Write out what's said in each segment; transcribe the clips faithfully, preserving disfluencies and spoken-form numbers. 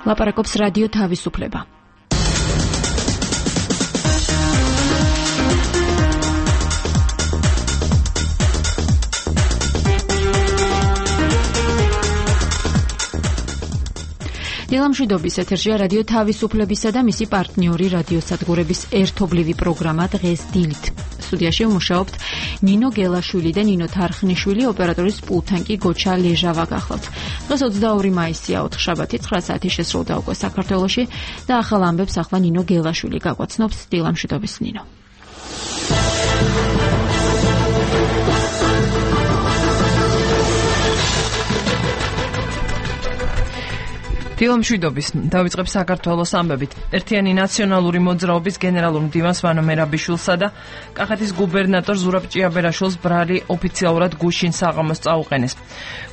ლაპარაკობს რადიო თავისუფლება. დილამშვიდობის ეთერშია რადიო თავისუფლებისა და მისი პარტნიორი რადიოსადგურების ერთობლივი პროგრამა დღეს დილით. სტუდიაში ვმუშაობთ ნინო გელაშვილი და ნინო თარხნიშვილი, ოპერატორის პულტთან კი გოჩა ლეჟავა გახლავთ. დღეს ოცდაორი მაისია, ოთხშაბათი, ცხრა საათი შესრულდა უკვე საქართველოში და ახალ ამბებს ახლა ნინო გელაშვილი გაგვაცნობს. დილამშვიდობის ნინო. დილამშვიდობის დავიწყებ საქართველოს ამბებით. ერთიანი ნაციონალური მოძრაობის გენერალურ მდივანს ვანო მერაბიშვილსა და კახეთის გუბერნატორ ზურაბ ჭიაბერაშვილს ბრალი ოფიციალურად გუშინ საღამოს წაუყენეს.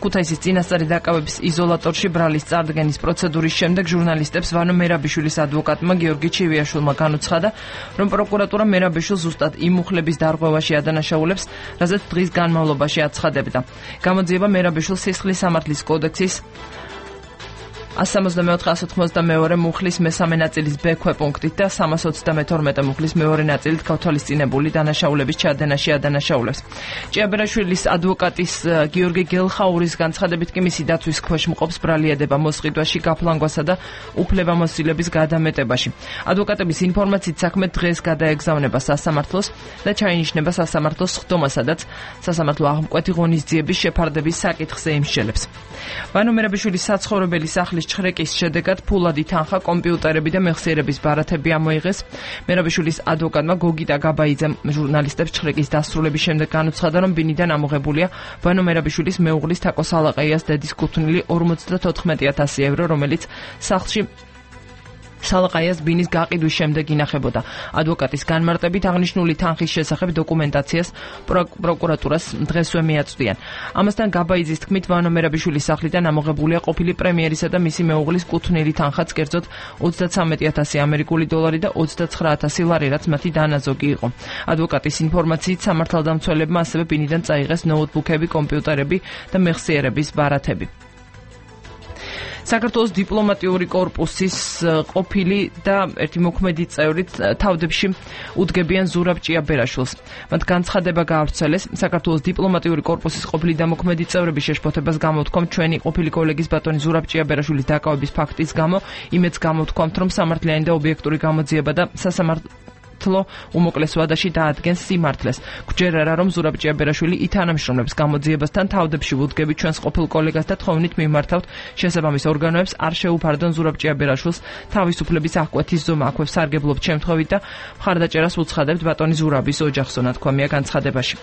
ქუთაისის წინასწარი დაკავების იზოლატორში ბრალის წარდგენის პროცედურის შემდეგ ჟურნალისტებს ვანო მერაბიშვილის ადვოკატმა გიორგი ჩივიაშვილმა განუცხადა, რომ პროკურატურა მერაბიშვილს ზუსტად იმ მუხლების დარღვევაში ადანაშაულებს, რასაც დღის განმავლობაში აცხადებდა. გამოძიება მერაბიშვილს სისხლის სამართლის კოდექსის ასი სამოცდამეოთხე ასი ოთხმოცდამეორე მუხლის მესამე ნაწილის ბ ქვეპუნქტით და სამას ოცდამეთორმეტე მუხლის მეორე ნაწილით გავთვალისწინებული დანაშაულების ჩადენაში ადანაშაულებს. ჭიაბერაშვილის ადვოკატის გიორგი გელხაურის განცხადებით კი მისი დაცვის ქვეშ მყოფს ბრალიადება მოსყიდვაში, გაფლანგვასა და უფლებამოსილების გადამეტებაში. ადვოკატების ინფორმაციით საქმე დღეს გადაეგზავნება სასამართლოს და ჩაინიშნება სასამართლოს სხდომა, სადაც სასამართლო აღმკვეთი ღონისძიების შეფარდების საკითხზე იმსჯელებს. ვანო მერაბიშვილის საცხოვრებელი სახლის ჩხრეკის შედეგად ფულადი თანხა, კომპიუტერები და მეხსიერების ბარათები ამოიღეს. მერაბიშვილის ადვოკატმა გოგიტა გაბაიძემ ჟურნალისტებს ჩხრეკის დასრულების შემდეგ განუცხადა, რომ ბინიდან ამოღებულია ვანო მერაბიშვილის მეუღლის თაკო სალაყაიას დედის კუთვნილი ორმოცდათოთხმეტი ათასი ევრო, რომელიც სახლში სალაყაიას ბინის გაყიდვის შემდეგ ინახებოდა. ადვოკატის განმარტებით აღნიშნული თანხის შესახებ დოკუმენტაციას პროკურატურას დღესვე მიაწვდიან. ამასთან გაბაიძის თქმით, ვანო მერაბიშვილის სახლიდან ამოღებულია ყოფილი პრემიერისა და მისი მეუღლის კუთვნილი თანხაც, კერძოდ ოცდათვრამეტი ათასი ამერიკული დოლარი და ოცდაცხრა ათასი ლარი, რაც მათი დანაზოგი იყო. ადვოკატის ინფორმაციით სამართალდამცველებმა ასევე ბინიდან წაიღეს ნოუთბუქები, კომპიუტერები და მეხსიერების ბარათები. საქართველოს დიპლომატიური კორპუსის ყოფილი და ერთი მოქმედი წევრით თავდებში უდგებიან ზურაბ ჭიაბერაშვილს. მათ განცხადება გაავრცელეს. საქართველოს დიპლომატიური კორპუსის ყოფილი და მოქმედი წევრების შეშფოთებას გამოვთქვამ ჩვენი ყოფილი კოლეგის ბატონი ზურაბ ჭიაბერაშვილის დაკავების ფაქტის გამო. იმედს გამოვთქვამთ, რომ სამართლიანი და ობიექტური გამოძიება და სასამართლო უმოკლეს ვადაში დაადგენს სიმართლეს. გვჯერ არა, რომ ზურაბ ჭიაბერაშვილი ითანამშრომლებს გამოძიებასთან, თავდებში ვუდგები ჩვენს ყოფილ კოლეგას და თხოვნით მიმართავთ შესაბამის ორგანოებს, არ შეუფარდონ ზურაბ ჭიაბერაშვილს თავისუფლების აღკვეთის ზომა აქვებს სარგებლობთ შემთხვევით და მხარდაჭერას უცხადებთ ბატონი ზურაბის ოჯახსო, ნათქვამია განცხადებაში.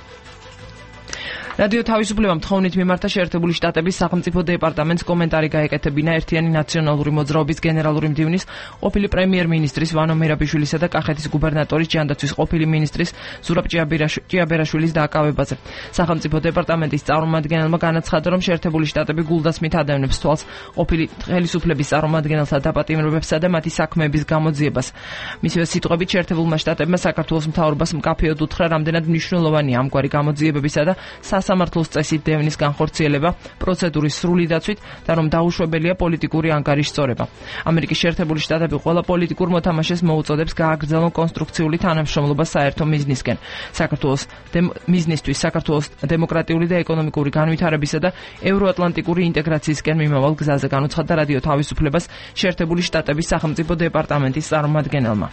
რადიო თავისუფლებამ თხოვნით მიმართა შეერთებული შტატების სახელმწიფო დეპარტამენტს კომენტარი გაეკეთებინა ერთიანი ნაციონალური მოძრაობის გენერალური მდივნის ყოფილი პრემიერ-მინისტრის ვანო მერაბიშვილისა და კახეთის გუბერნატორის ჯანდაცვის ყოფილი მინისტრის ზურაბ ჭიაბერაშვილის დაკავებაზე. სახელმწიფო დეპარტამენტის წარმომადგენელმა განაცხადა, რომ შეერთებული შტატები გულდასმით ადევნებს თვალს ყოფილი ხელისუფლების წარმომადგენელთა დაპატიმრებებსა და მათი საქმეების გამოძიებას. მისივე სიტყვებით, შეერთებულმა შტატებმა საქართველოს მთავრობას მკაფიოდ უთხრა, რამდენად მნიშვნელოვანია ამგვარი გამოძიებებისა და სასამართლოს წესით დევნის განხორციელება პროცედურის სრული დაცვით და რომ დაუშვებელია პოლიტიკური ანგარიშის სწორება. ამერიკის შეერთებული შტატები ყველა პოლიტიკურ მოთამაშეს მოუწოდებს გააგრძელონ კონსტრუქციული თანამშრომლობა საერთო მიზნისკენ. საქართველოს მიზნისთვის საქართველოს დემოკრატიული და ეკონომიკური განვითარებისა და ევროატლანტიკური ინტეგრაციისკენ მიმავალ გზაზე განუცხადა რადიო თავისუფლებას შეერთებული შტატების სახელმწიფო დეპარტამენტის წარმომადგენელმა.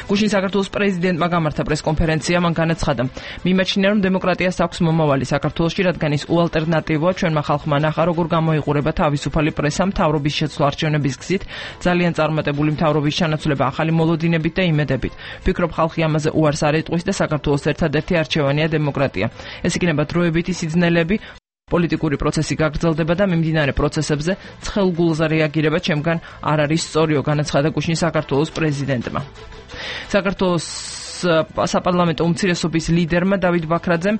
გუშინ საქართველოს პრეზიდენტმა გამართა პრესკონფერენცია, მან განაცხადა, მიმაჩნია, რომ დემოკრატიას აქვს მომავალი საქართველოში, რადგან ის უალტერნატივოა. ჩვენმა ხალხმა ნახა, როგორ გამოიყურება თავისუფალი პრესა მთავრობის შეცვლა არჩევნების გზით, ძალიან წარმატებული მთავრობის ჩანაცვლება ახალი მოლოდინებით და იმედებით. ვფიქრობ, ხალხი ამაზე უარს არ ეტყვის და საქართველოს ერთადერთი არჩევანია დემოკრატია. ეს იქნება დროებითი სიძნელები, პოლიტიკური პროცესი გაგრძელდება და მიმდინარე პროცესებზე ცხელგულზე რეაგირება ჩემგან არ არის სწორიო, განაცხადა გუშინ საქართველოს პრეზიდენტმა. საქართველოს საპარლამენტო უმცირესობის ლიდერმა დავით ბაქრაძემ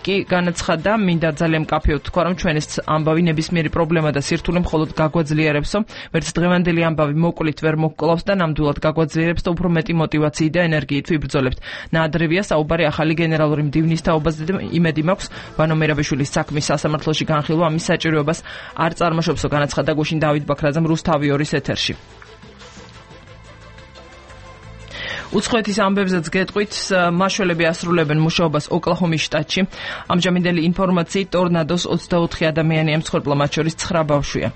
კი განაცხადა, მინდა ძალიან მკაფიოდ თქვა, რომ ჩვენ ეს ამბავი ნებისმიერი პრობლემა და სირთულე მხოლოდ გაგვაძლიერებსო, ვერც დღევანდელი ამბავი მოკლით ვერ მოგკლავს და ნამდვილად გაგვაძლიერებს და უფრო მეტი мотивაციით და ენერგიით ვიბრძოლებთ. ნაადრევია საუბარი ახალი გენერალური მდივნის თაობაზე და იმედი მაქვს, ვანო მერაბიშვილის საქმის სასამართლოში განხილვა ამის საჭიროებას არ წარმოშობსო, განაცხადა გუშინ დავით ბაქრაძემ რუსთავი ორის ეთერში. უცხოეთის ამბებზეც გეტყვით, მაშველები ასრულებენ მუშაობას ოკლაჰომის შტატში. ამჟამინდელი ინფორმაციით ტორნადოს ოცდაოთხი ადამიანი ემცხვერპლა, მათ შორის ცხრა ბავშვია.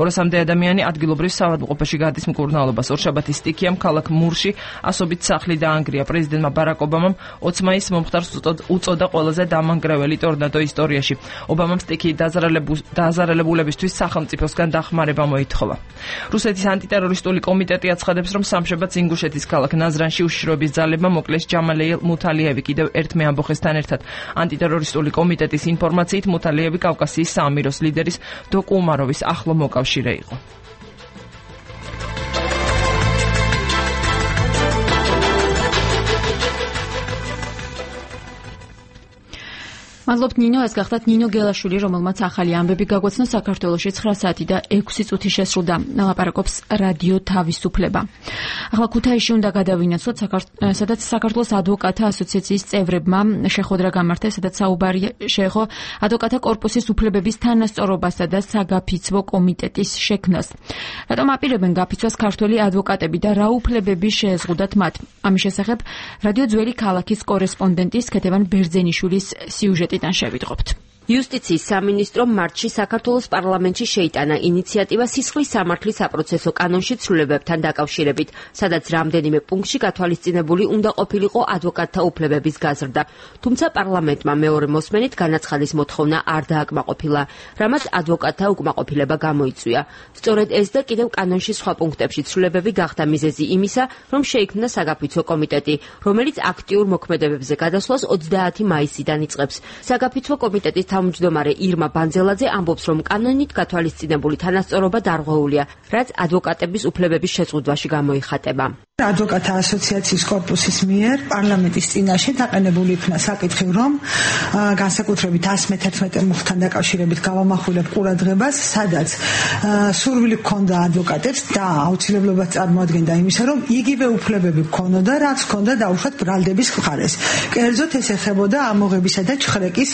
ორასამდე ადამიანი ადგილობრივ საავადმყოფოში გადის მკურნალობას. ორშაბათის სტიქიამ ქალაქ მურში ასობით სახლი დაანგრია. პრეზიდენტმა ბარაკ ობამამ ოცი მაისს მომხდარს უწოდა ყველაზე დამანგრეველი ტორნადო ისტორიაში. ობამამ სტიქიის დაზარალებულებისთვის სახელმწიფოსგან დახმარება მოითხოვა. რუსეთის ანტიტერორისტული კომიტეტი აცხადებს, რომ სამშაბათს ინგუშეთის ქალაქ ნაზრანში უშიშროების ძალებმა მოკლეს ჯამალიელ მუთალიევი კიდევ ერთ მეამბოხესთან ერთად. ანტიტერორისტული კომიტეტის ინფორმაციით მუთალიევი კავკასიის საამიროს ლიდერის დოკუ უმაროვის ახლო მოკავშირე იყო. მადლობთ ნინო, ეს გახდათ ნინო გელაშვილი, რომელმაც ახალი ამბები გაგვაცნო საქართველოში ცხრა საათი და ექვსი წუთი შესრულდა. ლაპარაკობს რადიო თავისუფლება. ახლა ქუთაისში უნდა გადავინაცვლოთ, სადაც საქართველოს ადვოკატთა ასოციაციის წევრებმა შეხვედრა გამართეს, სადაც საუბარი შეეხო ადვოკატთა კორპუსის უფლებების თანასწორობასა და საგაფიცვო კომიტეტის შექმნას. რატომ აპირებენ გაფიცვას ქართველი ადვოკატები და რა უფლებები შეეზღუდათ მათ? ამის შესახებ რადიო ძველი ქალაქის კორესპონდენტის ქეთევან ბერძენიშვილის სიუჟეტიდან შევიდღობთ. იუსტიციის სამინისტრომ მარტში საქართველოს პარლამენტში შეიტანა ინიციატივა სისხლის სამართლის საპროცესო კანონში ცვლილებებთან დაკავშირებით, სადაც რამდენიმე პუნქტში გათვალისწინებული უნდა ყოფილიყო ადვოკატთა უფლებების გაზრდა. თუმცა პარლამენტმა მეორე მოსმენით განაცხადის მოთხოვნა არ დააკმაყოფილა, რამაც ადვოკატთა უკმაყოფილება გამოიწვია. სწორედ ეს და კიდევ კანონში სხვა პუნქტებში ცვლილებები გახდა მიზეზი იმისა, რომ შეიქმნა საგაფიცვო კომიტეტი, რომელიც აქტიურ მოქმედებებზე გადასვლას ოცდაათი მაისიდან იწყებს. საგაფიცვო კომიტეტის თავმჯდომარე ირმა ბანძელაძე ამბობს, რომ კანონით გათვალისწინებული თანასწორობა დარღვეულია, რაც ადვოკატების უფლებების შეზღუდვაში გამოიხატება. ადვოკატთა ასოციაციის კორპუსის მიერ პარლამენტის წინაშე დაყენებული იქნა საკითხი, რომ განსაკუთრებით ას მეთერთმეტე მუხთან დაკავშირებით გავამახვილებ ყურადღებას, სადაც სურვილი ჰქონდა ადვოკატებს და აუცილებლობას წარმოადგენდა იმისა, რომ იგივე უფლებები ჰქონოდა, რაც ჰქონდა დაუშვათ ბრალდების მხარეს. კერძოდ ეს ეხებოდა ამოღებისა და ჩხრეკის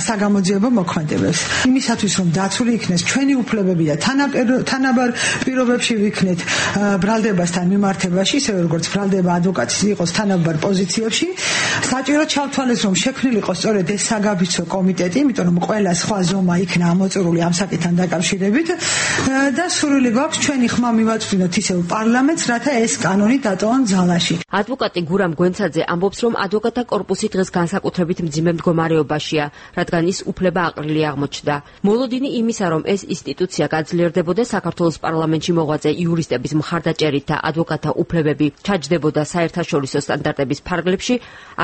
საგამოძიებო მოქმედებებს. იმისათვის, რომ დაცული იქნეს ჩვენი უფლებები და თანაბარ პირობებში ვიქნეთ ბრალდებასთან მიმართებაში, ისე როგორც ბრალდება ადვოკატის იყოს თანაბარ პოზიციებში, საჭირო ჩავთვალეს, რომ შექმნილიყო სწორედ ეს საგაფიცვო კომიტეტი, იმიტომ რომ ყველა სხვა ზომა იქნა ამოწურული ამ საკითხთან დაკავშირებით და სურვილი გვაქვს ჩვენი ხმა მივაწვდინოთ ისევ პარლამენტს, რათა ეს კანონი დატოვონ ძალაში. ადვოკატი გურამ გვენცაძე ამბობს, რომ ადვოკატთა კორპუსი დღეს განსაკუთრებით მძიმე მდგომარეობაშია, რადგან ის უფლება აყრილი აღმოჩნდა. მოლოდინი იმისა, რომ ეს ინსტიტუცია გაძლიერდებოდა, საქართველოს პარლამენტში მოღვაწე იურისტების მხარდაჭერით და ადვოკატთა უფლებები ჩაჯდებოდა საერთაშორისო სტანდარტების ფარგლებში,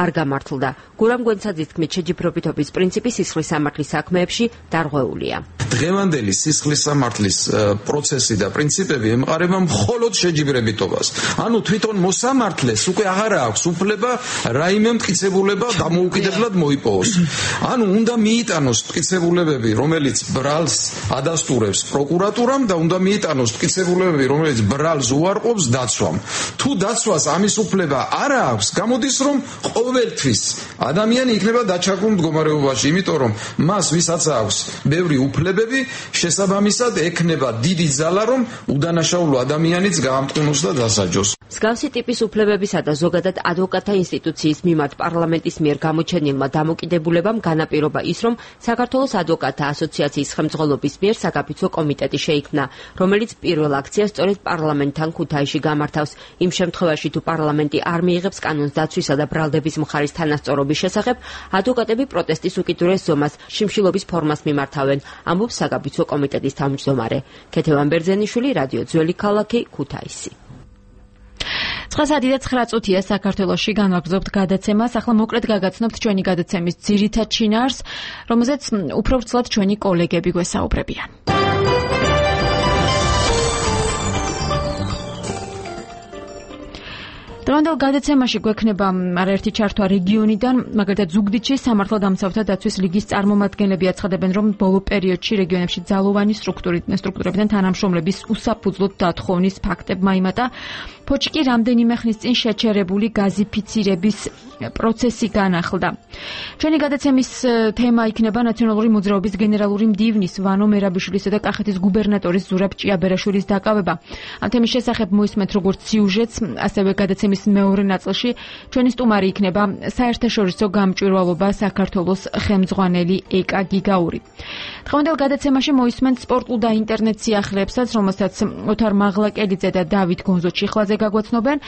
არ გამართლდა. გურამ გვენცაძის თქმით, შეჯიბრობითობის პრინციპი სისხლის სამართლის საქმეებში დარღვეულია. დღევანდელი სისხლის სამართლის პროცესი და პრინციპები ემყარება მხოლოდ შეჯიბრებითობას. ანუ თვითონ მოსამართლეს უკვე აღარ აქვს უფლება რაიმე მტკიცებულება დამოუკიდებლად მოიპოვოს. ანუ უნდა მიიტანოს მტკიცებულებები, რომელიც ბრალს ადასტურებს პროკურატურამ და უნდა მიიტანოს მტკიცებულებები, რომელიც ბრალს უარყოფს დაცვამ. თუ დაცვას ამის უფლება არ აქვს, გამოდის, რომ ყოველთვის ადამიანი იქნება დაჩაგრულ მდგომარეობაში, იმიტომ რომ მას ვისაც აქვს ბევრი უფლებები, შესაბამისად ექნება დიდი ძალა, რომ უდანაშაულო ადამიანიც გაამტყუნოს და დასაჯოს. მსგავსი ტიპის უფლებებისა და ზოგადად ადვოკატთა ინსტიტუციის მიმართ პარლამენტის მიერ გამოჩენილმა დამოკიდებულებამ განაპირობა ის, რომ საქართველოს ადვოკატთა ასოციაციის ხელმძღვანელობის მიერ საგაფიცვო კომიტეტი შეიქმნა, რომელიც პირველ აქციას სწორედ პარლამენტთან ქუთაისში გამართავს. იმ შემთხვევაში, თუ პარლამენტი არ მიიღებს კანონს დაცვისა და ბრალდების მხარის თანასწორობის შესახებ, ადვოკატები პროტესტის უკიდურეს ზომას, შიმშილობის ფორმას მიმართავენ, ამბობს საგაფიცვო კომიტეტის თავმჯდომარე. ქეთევან ბერძენიშვილი, რადიო ძველი ქალაქი, ქუთაისი. ცხრა საათი და ცხრა წუთია საქართველოში, განვაგრძობთ გადაცემას. ახლა მოკლედ გაგაცნობთ ჩვენი გადაცემის ძირითად შინაარს, რომელზეც უფრო ვრცლად ჩვენი კოლეგები გვესაუბრებიან. დღევანდელ გადაცემაში გვექნება არაერთი ჩართვა რეგიონიდან, მაგალითად ზუგდიდში სამართალდამცავთა დაცვის ლიგის წარმომადგენლები აცხადებენ, რომ ბოლო პერიოდში რეგიონებში ძალოვანი სტრუქტურებიდან თანამშრომლების უსაფუძვლოდ დათხოვნის ფაქტებმა იმატა. ფოთში კი რამდენიმე ხნის წინ შეჩერებული გაზიფიცირების პროცესი განახლდა. ჩვენი გადაცემის თემა იქნება ნაციონალური მოძრაობის გენერალური მდივნის ვანო მერაბიშვილისა და კახეთის გუბერნატორის ზურაბ ჭიაბერაშვილის დაკავება. ამ თემის შესახებ მოისმენთ როგორც სიუჟეტს, ასევე გადაცემის მეორე ნაწილში ჩვენი სტუმარი იქნება საერთაშორისო გამჭვირვალობა საქართველოს ხელმძღვანელი ეკა გიგაური. დღევანდელ გადაცემაში მოისმენთ სპორტულ და ინტერნეტ სიახლეებსაც, რომელსაც ოთარ მაღლაკელიძე და დავით გონზო-ჩიხლაძე გაგვაცნობენ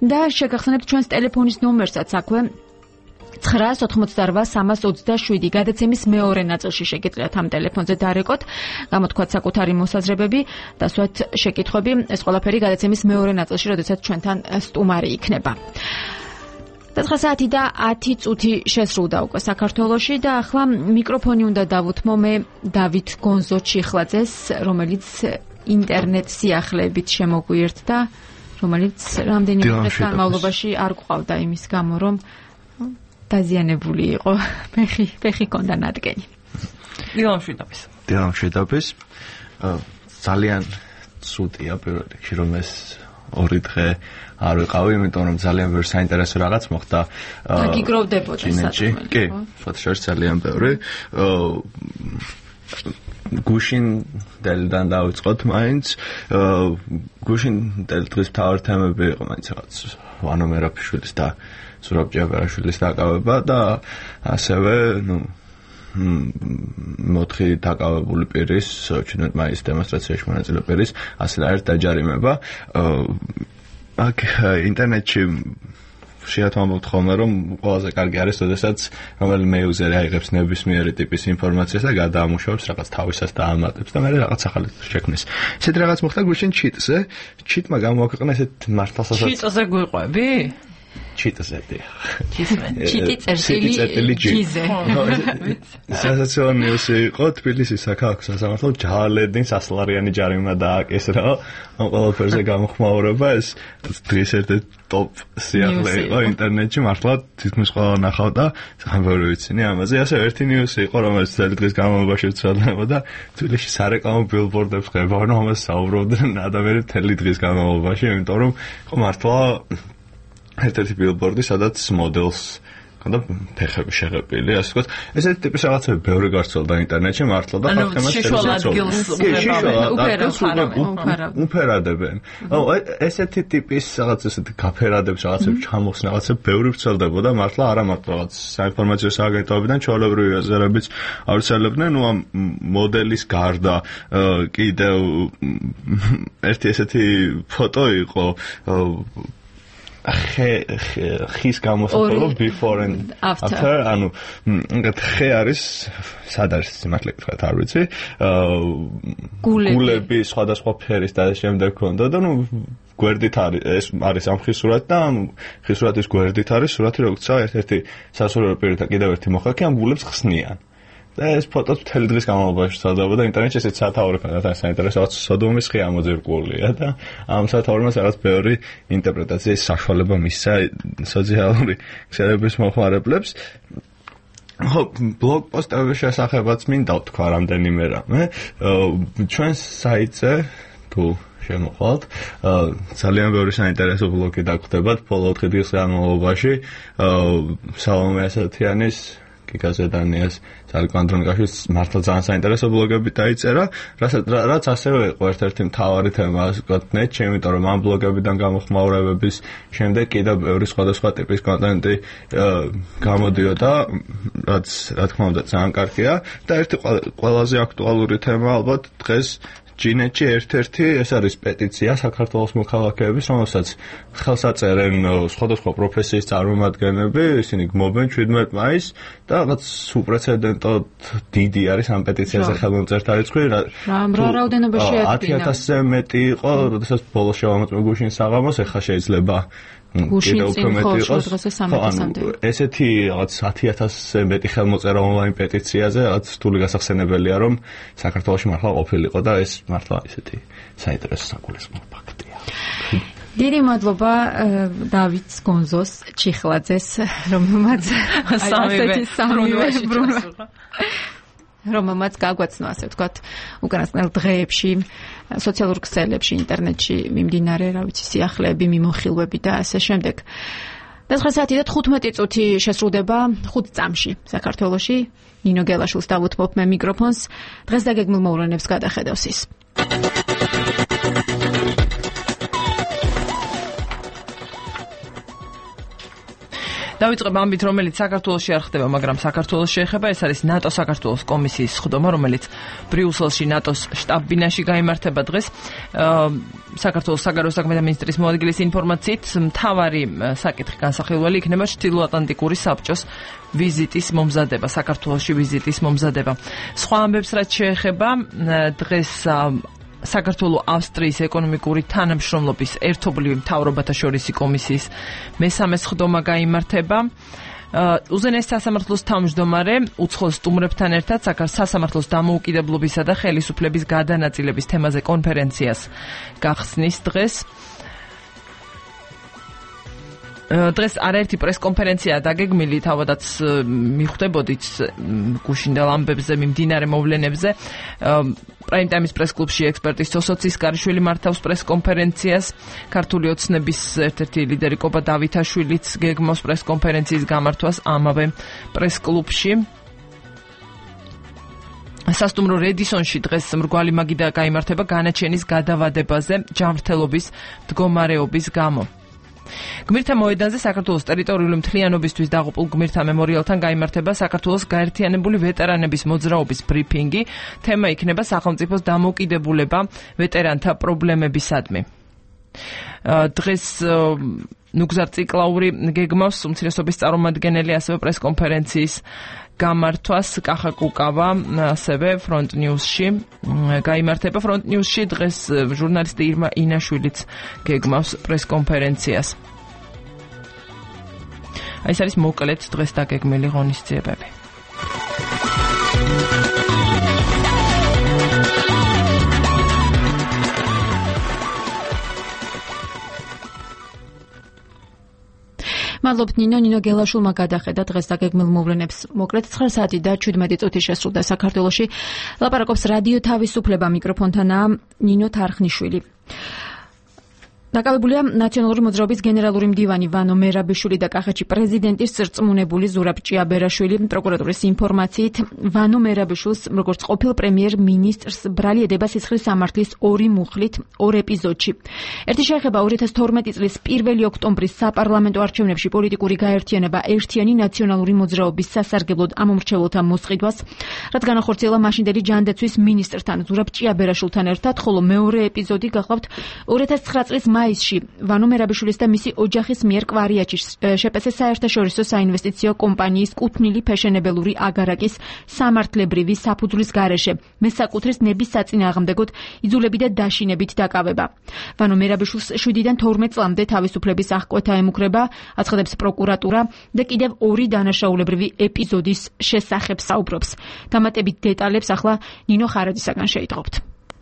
და შეგახსენებთ ჩვენს ტელეფონის ნომერსაც აქვე ცხრა ოთხმოცდარვა სამას ოცდაშვიდი. გადაცემის მეორე ნაწილში შეგიძლიათ ამ ტელეფონზე დარეკოთ, გამოთქვათ საკუთარი მოსაზრებები, დასვათ შეკითხვები. ეს ყველაფერი გადაცემის მეორე ნაწილში, როდესაც ჩვენთან სტუმარი იქნება. ცხრა საათი და ათი წუთი შესრულდა უკვე საქართველოში და ახლა მიკროფონი უნდა დავუთმო მე დავით გონზო-ჩიხლაძეს, რომელიც ინტერნეტ სიახლეებით შემოგვიერთდა, რომელიც რამდენიმე დღის განმავლობაში არ გვყავდა იმის გამო, რომ დაზიანებული იყო, ფეხი, ფეხი ჰქონდა ნადგენი. დილამშვიდობის. დილამშვიდობის. ძალიან ცუდია პირველ რიგში, რომ ეს ორი დღე არ ვიყავი, იმიტომ რომ ძალიან ბევრი საინტერესო რაღაც მოხდა. დაგიგროვდებოდა საქმე. კი, ფოთშორის ძალიან ბევრი. გუშინდელიდან დავიწყოთ მაინც. გუშინდელ დღის მთავარი თემები იყო მაინც რაღაც ვანო მერაბიშვილის და ზურაბ ჭიაბერაშვილის დაკავება და ასევე, ნუ მოთხი დაკავებული პირის, ჩვენეთ მაინც დემონსტრაციაში მონაწილე პირის, ასე და ერთ დაჯარიმება. აქ ინტერნეტში შეათვალოთ ხოლმე, რომ ყველაზე კარგი არის, როდესაც რომელიმე იუზერი აიღებს ნებისმიერი ტიპის ინფორმაციას და გადაამუშავებს რაღაც თავისას და ამატებს და მე რაღაც ახალი შექმნის. ესეთ რაღაც მოხდა გუშინ ჩიტზე. ჩიტმა გამოაქვეყნა ესეთ მართალსაც. ჩიტზე გვიყვები? ჩიტზე. ჩიტი წერტილი ჯიზე. სასაცილო ნიუსი იყო თბილისის საქალაქო სასამართლომ ჯალედინს ასლარიანი ჯარიმა დააკისრა. ამ ყველაფერზე გამოხმაურება ეს დღის ერთ-ერთი ტოპ სიახლე იყო ინტერნეტში, მართლა თითქმის ყველა ნახავდა, ძალიან ბევრი ვიცინი ამაზე. ასე ერთი ნიუსი იყო, რომელიც ძელი დღის განმავლობაში ვრცელდებოდა, თბილისში სარეკლამო ბილბორდებს ხებავენ, რომელსაც საუბრობდნენ ადამიანები მთელი დღის განმავლობაში, იმიტომ რომ იყო მართლა ერთ-ერთი ბილბორდი, სადაც მოდელს ხონდა ფეხები შეღებილი, ასე ვთქვათ. ესეთი ტიპის რაღაცები ბევრი გავრცელდა ინტერნეტში, მართლა და ხალხებმა უფერადებენ. აუ ესეთი ტიპის რაღაც ესეთი გაფერადებს რაღაცები ჩამოხსნა, რაღაცები ბევრი ვრცელდებოდა, მართლა არა მარტო რაღაც საინფორმაციო სააგენტოებიდან ჩვეულებრივი უზერებიც ავრცელებდნენ, ნუ ამ მოდელის გარდა კიდევ ერთი ესეთი ფოტო იყო ხის გამოსახულება before and after, ანუ ხე არის სად არის სიმართლე გითხრათ არ ვიცი, გულები სხვადასხვა ფერის და შემდეგ ქონდა და ნუ გვერდით არის ეს არის ამ ხის სურათი და ამ ხის სურათის გვერდით არის სურათი როგორცა ერთ-ერთი სასურველო პირი და კიდევ ერთი მოხალხე ამ გულებს ხსნიან. და ეს ფოტო მთელი დღის განმავლობაში ვრცელდებოდა ინტერნეტში, ესეც სათაური ხანდა საინტერესო რაღაც სოდომის ხე ამოძერგულია და ამ სათაურებას რაღაც ბევრი ინტერპრეტაციის საშუალება მისცა სოციალური ქსელების მოხმარებლებს. ხო, ბლოგ პოსტების შესახებაც მინდა ვთქვა რამდენიმე რამე. ჩვენს საიტზე თუ შემოხვალთ, ძალიან ბევრი საინტერესო ბლოგი დაგხვდებათ ბოლო ოთხი დღის განმავლობაში. სალომე ასათიანის გიგაზედანიას ძალკვანდრონკაშის მართლა ძალიან საინტერესო ბლოგები დაიწერა, რაც ასევე იყო ერთ-ერთი მთავარი თემა, ასე ვთქვათ, ნეტში, იმიტომ რომ ამ ბლოგებიდან გამოხმაურებების შემდეგ კიდევ ბევრი სხვადასხვა ტიპის კონტენტი გამოდიოდა, რაც რა თქმა უნდა ძალიან კარგია და ერთი ყველაზე აქტუალური თემა ალბათ დღეს ჯინეთში ერთ-ერთი ეს არის პეტიცია საქართველოს მოქალაქეების, რომელსაც ხელს აწერენ სხვადასხვა პროფესიის წარმომადგენლები, ისინი გმობენ შვიდმეტ მაისს და რაღაც უპრეცედენტოდ დიდი არის ამ პეტიციაზე ხელმომწერთა რიცხვი. რა რაოდენობაში ეთქინა? ათი ათასზე მეტი იყო, როდესაც ბოლოს შევამოწმე გუშინ საღამოს, ეხლა შეიძლება კიდევ უფრო მეტი იყოს. ესეთი რაღაც ათი ათასზე მეტი ხელმოწერა ონლაინ პეტიციაზე, რაღაც რთული გასახსენებელია, რომ საქართველოში მართლა ყოფილიყო და ეს მართლა ესეთი საინტერესო საკულისმო ფაქტია. დიდი მადლობა დავით გონზოს ჩიხლაძეს, რომელმაც ასეთი სამივე ბრუნვა რომელმაც გაგვაცნო, ასე ვთქვათ, უკანასკნელ დღეებში სოციალურ ქსელებში, ინტერნეტში მიმდინარე, რა ვიცი, სიახლეები, მიმოხილვები და ასე შემდეგ. მეცხრე საათი და თხუთმეტი წუთი შესრულდება ხუთ წამში საქართველოში. ნინო გელაშვილს დავუთმობ მე მიკროფონს. დღეს დაგეგმილ მოვლენებს გადახედავს ის. დავიწყებ ამით, რომელიც საქართველოში არ ხდება, მაგრამ საქართველოს შეეხება. ეს არის ნატო საქართველოს კომისიის სხდომა, რომელიც ბრიუსელში ნატოს შტაბ-ბინაში გაიმართება დღეს. საქართველოს საგარეო საქმეთა მინისტრის მოადგილის ინფორმაციით, მთავარი საკითხი განსახილველი იქნება ჩრდილოატლანტიკური საბჭოს ვიზიტის მომზადება, საქართველოში ვიზიტის მომზადება. სხვა ამბებს რაც შეეხება, დღეს საქართველოს ავსტრიის ეკონომიკური თანამშრომლობის ერთობლივი მთავრობათა შორისი კომისიის მესამე სხდომა გაიმართება. უზენაეს სასამართლოს თავმჯდომარე უცხოელ სტუმრებთან ერთად საქართველოს დამოუკიდებლობისა და ხელისუფლების გადანაწილების თემაზე კონფერენციას გახსნის დღეს. დღეს არაერთი პრესკონფერენცია დაგეგმილი, თავადაც მიხვდებოდით გუშინდელ ამბებზე, მიმდინარე მოვლენებზე. პრაიმ ტაიმის პრესკლუბში ექსპერტი სოსო ცისკარიშვილი მართავს პრესკონფერენციას. ქართული ოცნების ერთ-ერთი ლიდერი კობა დავითაშვილიც გეგმავს პრესკონფერენციის გამართვას ამავე პრესკლუბში. სასტუმრო რედისონში დღეს მრგვალი მაგიდა გაიმართება განაჩენის გადავადებაზე ჯანმრთელობის მდგომარეობის გამო. გმირთა მოედანზე საქართველოს ტერიტორიული მთლიანობისთვის დაღუპულ გმირთა მემორიალთან გაიმართება საქართველოს გაერთიანებული ვეტერანების მოძრაობის ბრიფინგი. თემა იქნება სახელმწიფოს დამოუკიდებულება ვეტერანთა პრობლემებისადმი. დღეს ნუგზარ ციკლაური გეგმავს უმცირესობის წარმომადგენელი, ასევე პრესკონფერენციის გამართვას. კახა კუკავა ასევე ფრონტ ნიუსში გაიმართება. ფრონტ ნიუსში დღეს ჟურნალისტი ირმა ინაშვილიც გეგმავს პრესკონფერენციას. აი ეს არის მოკლედ დღეს დაგეგმილი ღონისძიებები. მადლობთ ნინო, ნინო გელაშვილმა გადახედა დღეს დაგეგმილ მოვლენებს. მოკლედ ცხრა საათი და შვიდმეტი წუთი შესრულდა საქართველოში. ლაპარაკობს რადიო თავისუფლება, მიკროფონთანაა ნინო თარხნიშვილი. დაკავებულია ნაციონალური მოძრაობის გენერალური მდივანი ვანო მერაბიშვილი და კახეთში პრეზიდენტის წრწმუნებული ზურაბ ჭიაბერაშვილი. პროკურატურის ინფორმაციით, ვანო მერაბიშვილს, როგორც ყოფილ პრემიერ-მინისტრს, ბრალი ედება სისხლის სამართლის ორი მუხლით ორ ეპიზოდში. ერთი შეეხება ორი ათას თორმეტი წლის პირველი ოქტომბრის საპარლამენტო არჩევნებში პოლიტიკური გაერთიანება ერთიანი ნაციონალური მოძრაობის სასარგებლოდ ამომრჩეველთა მოსყიდვას, რაც განახორციელა მაშინდელი ჯანდაცვის მინისტრთან ზურაბ ჭიაბერაშვილთან ერთად, ხოლო მეორე ეპიზოდი გახლავთ ორი ათას ცხრა წლის მაისში ვანო მერაბიშვილის და მისი ოჯახის მიერ კვარიაჩის შეპეს საერთაშორისო საინვესტიციო კომპანიის კუთვნილი ფეშენებელური აგარაკის სამართლებრივი საფუძვლის გარეშე მესაკუთრის ნების საწინააღმდეგოდ იძულები და დაშინებით დაკავება. ვანო მერაბიშვილს შვიდიდან თორმეტ წლამდე თავისუფლების აღკვეთა ემუქრება, აცხადებს პროკურატურა და კიდევ ორი დანაშაულებრივი ეპიზოდის შესახებ საუბრობს. დამატებით დეტალებს ახლა ნინო ხარაძისაგან შეიტყობთ.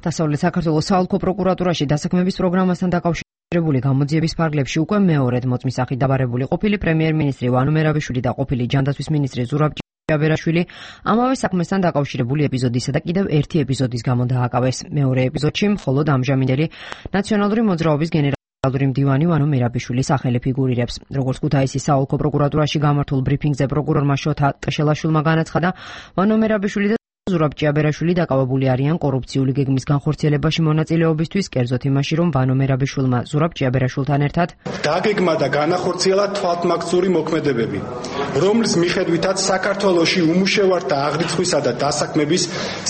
დასავლეთ საქართველოს საოლქო პროკურატურაში დასაქმების პროგრამასთან დაკავშირებული გამოძიების ფარგლებში უკვე მეორედ მოწმის სახით დაბარებული ყოფილი პრემიერ-მინისტრი ვანო მერაბიშვილი და ყოფილი ჯანდაცვის მინისტრი ზურაბ ჭიაბერაშვილი ამავე საქმესთან დაკავშირებული ეპიზოდისა და კიდევ ერთი ეპიზოდის გამო დააკავეს. მეორე ეპიზოდში მხოლოდ ამჟამინდელი ნაციონალური მოძრაობის გენერალური მდივანი ვანო მერაბიშვილი სახელი ფიგურირებს. როგორც ქუთაისის საოლქო პროკურატურაში გამართულ ბრიფინგზე პროკურორმა შოთა ტყეშელაშვილმა განაცხადა, ვანო მერაბიშვილი ზურაბ ჭიაბერაშვილი დაკავებული არიან კორუფციული გეგმის განხორციელებაში მონაწილეობისთვის, კერძოდ იმაში, რომ ვანო მერაბიშვილმა ზურაბ ჭიაბერაშვილთან ერთად დაგეგმა და განახორციელა თვალთმაქცური მოქმედებები, რომლის მიხედვითაც საქართველოში უმუშევარ და აღრიცხვისა და დასაქმების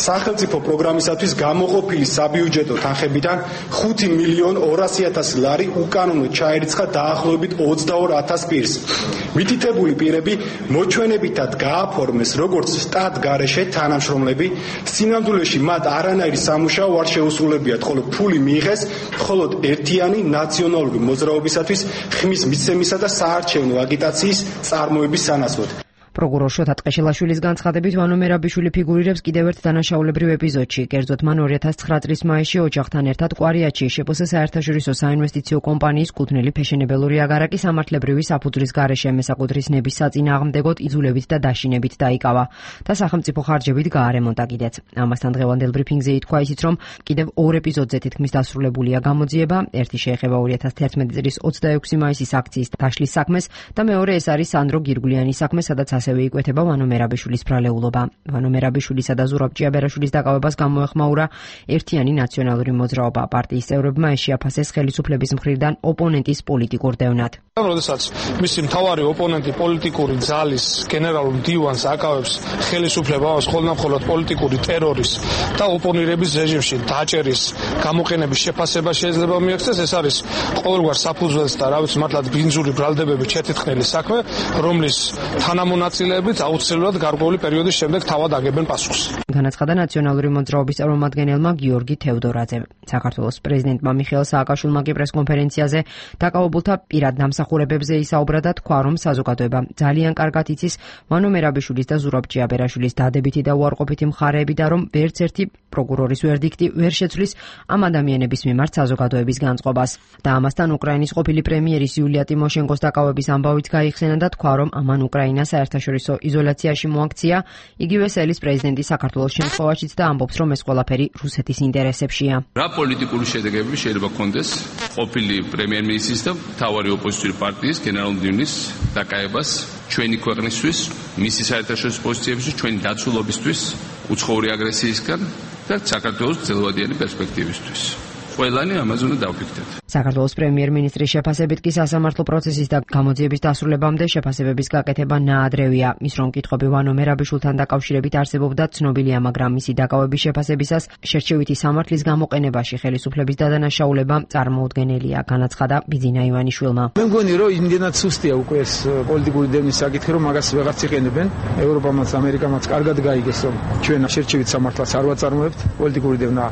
სახელმწიფო პროგრამისათვის გამოყოფილი საბიუჯეტო თანხებიდან ხუთი მილიონი ორასი ათასი ლარი უკანონოდ ჩაერიცხა დაახლოებით ოცდაორ ათას პირს. მითითებული პირები მოჩვენებითად გააფორმეს როგორც სტატ გარეშე თანამშრომლები, სინამდვილეში მათ არანაირი სამუშაო არ შეუსრულებიათ, ხოლო ფული მიიღეს მხოლოდ ერთიანი ნაციონალური მოძრაობისათვის ხმის მიცემისა და საარჩევნო აგიტაციის წარმოების სანაცვლოდ. პროკურორ შოთა ტყეშელაშვილის განცხადებით ვანო მერაბიშვილი ფიგურირებს კიდევ ერთ დანაშაულებრივ ეპიზოდში. კერძოდ მან ორი ათას ცხრა წლის მაისში ოჯახთან ერთად კვარიატში შპს საერთაშორისო საინვესტიციო კომპანიის კუთვნილი ფეშენებელური აგარაკი სამართლებრივი საფუძვლის გარეშე მესაკუთრის ნების საწინააღმდეგოდ იძულებით და დაშინებით დაიკავა და სახელმწიფო ხარჯებით გაარემონტა კიდეც. ამასთან დღევანდელ ბრიფინგზე ითქვა ისიც, რომ კიდევ ორ ეპიზოდზე თითქმის დასრულებულია გამოძიება. ერთი შეეხება ორი ათას თერთმეტი წლის ოცდაექვსი მაისის აქციის დაშლის საქმეს და მეორე ეს არის სანდრო გირგვლიანის საქმე, სადაც ასევე იკვეთება ვანო მერაბიშვილის ბრალეულობა. ვანო მერაბიშვილისა და ზურაბ ჭიაბერაშვილის დაკავებას გამოეხმაურა ერთიანი ნაციონალური მოძრაობა. პარტიის წევრებმა ეს შეაფასეს ხელისუფლების მხრიდან ოპონენტის პოლიტიკურ დევნად. როდესაც მისი მთავარი ოპონენტი პოლიტიკური ძალის გენერალურ მდივანს აკავებს ხელისუფლებას ხოლმე პოლიტიკური ტერორის და ოპონირების რეჟიმში დაჭერის გამოყენების შეფასება შეიძლება მიექცეს, ეს არის ყოველგვარ საფუძველს და რა ვიცი მართლაც ბინძური ბრალდებებით შეთითხნილი საქმე, რომლის თანამონაწილეებით აუცილებლად გარკვეული პერიოდის შემდეგ თავად აგებენ პასუხს. განაცხადა ნაციონალური მოძრაობის წარმომადგენელმა გიორგი თევდორაძემ. საქართველოს პრეზიდენტმა მიხეილ სააკაშვილმა კი პრესკონფერენციაზე დაკავებულთა პირად დამსახურებებზე ისაუბრა და თქვა, რომ საზოგადოება ძალიან კარგად იცის ვანო მერაბიშვილის და ზურაბ ჭიაბერაშვილის დადებითი და უარყოფითი მხარეები და რომ ვერც ერთი პროკურორის ვერდიქტი ვერ შეცვლის ამ ადამიანების მიმართ საზოგადოების განწყობას. და ამასთან უკრაინის ყოფილი პრემიერის იულია ტიმოშენკოს დაკავების ამბავით გაიხსენა და თქვა, რომ ამან უკრაინა საერთაშორისო იზოლაციაში მოაქცია. იგივე სელის პრეზიდენტი საქართველოს შემთხვევაშიც და ამბობს, რომ ეს ყველაფერი რუსეთის ინტერესებშია. რა პოლიტიკური შედეგები შეიძლება ქონდეს ყოფილი პრემიერ-მინისტრის და მთავარი ოპოზიციური პარტიის გენერალ-მდივნის დაკავებას ჩვენი ქვეყნისთვის, მისი საერთაშორისო პოზიციებისთვის, ჩვენი დაცულობისთვის, უცხოური აგრესიისგან და საქართველოს ძელვადიანი პერსპექტივისთვის. ყველანი ამაზე უნდა დავფიქრდეთ. საქართველოს პრემიერ-მინისტრის შეფასებით კი სასამართლო პროცესის და გამოძიების დასრულებამდე შეფასებების გაკეთება ნაადრევია. ის რომ კითხვები ვანო მერაბიშვილთან დაკავშირებით არსებობდა ცნობილია, მაგრამ მისი დაკავების შეფასებისას შერჩევითი სამართლის გამოყენებაში ხელისუფლების დადანაშაულება წარმოუდგენელია, განაცხადა ბიძინა ივანიშვილმა. მე მგონი, რომ იმდენად სუსტია უკვე ეს პოლიტიკური დევნის საკითხი, რომ მაგას ვეღარც იყენებენ. ევროპამაც, ამერიკამაც კარგად გაიგეს, რომ ჩვენ შერჩევით სამართლს არ ვაწარმოებთ, პოლიტიკური დევნა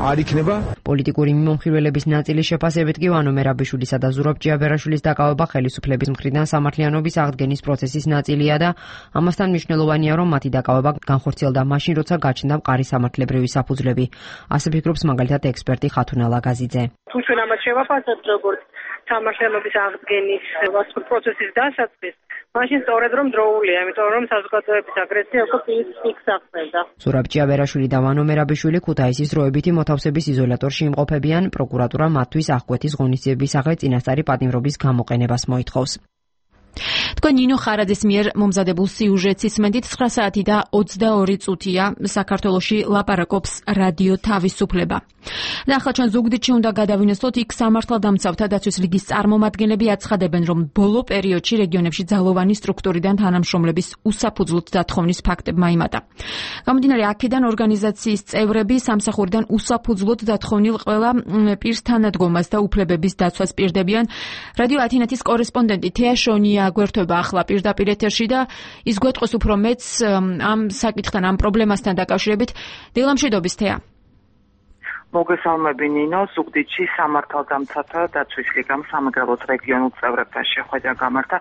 არ იქნება. პოლიტიკური მიმომხილველების ნაწილის შეფასებით კი ვანო მერაბიშვილისა და ზურაბ ჭიაბერაშვილის დაკავება ხელისუფლების მხრიდან სამართლიანობის აღდგენის პროცესის ნაწილია და ამასთან მნიშვნელოვანია, რომ მათი დაკავება განხორციელდა მაშინ, როცა გაჩნდა მყარი სამართლებრივი საფუძვლები. ასე ფიქრობს მაგალითად ექსპერტი ხათუნა ლაგაზიძე. თუ ჩვენ ამას შევაფასებთ როგორც სამართლიანობის აღდგენის პროცესის დასაწყისს, მაშინ სწორედ რომ დროულია, იმიტომ რომ საზოგადოების აგრესია უკვე პირის ფიქს ახსენდა. ზურაბ ჭიაბერაშვილი და ვანო მერაბიშვილი ქუთაისის დროებითი მოთავსების იზოლატორში იმყოფებიან. პროკურატურა მათთვის აღკვეთის ღონისძიების სახე წინასწარი პატიმრობის გამოყენებას მოითხოვს. თქვენ ნინო ხარაძის მიერ მომზადებულ სიუჟეტს ისმენთ ცხრა საათი და ოცდაორი წუთია საქართველოში ლაპარაკობს რადიო თავისუფლება. და ახლა ჩვენ ზუგდიდში უნდა გადავინესოთ, იქ სამართალდამცავთა დაცვის ლიგის წარმომადგენლები აცხადებენ, რომ ბოლო პერიოდში რეგიონებში ძალოვანი სტრუქტურიდან თანამშრომლების უსაფუძვლოდ დათხოვნის ფაქტებმა იმატა. გამომდინარე აქედან ორგანიზაციის წევრები სამსახურიდან უსაფუძვლოდ დათხოვნილ ყველა პირს თანადგომას და უფლებების დაცვას პირდებიან. რადიო ათინათის კორესპონდენტი თეა შონია გვერდება ახლა პირდაპირ ეთერში და ის გვეტყვის უფრო მეც ამ საკითხთან, ამ პრობლემასთან დაკავშირებით. დილამშვიდობის თეა. მოგესალმები ნინო, ზუგდიდში სამართალდამცავთა დაცვის ლიგამ სამეგრელოს რეგიონულ წევრებთან შეხვედრა გამართა.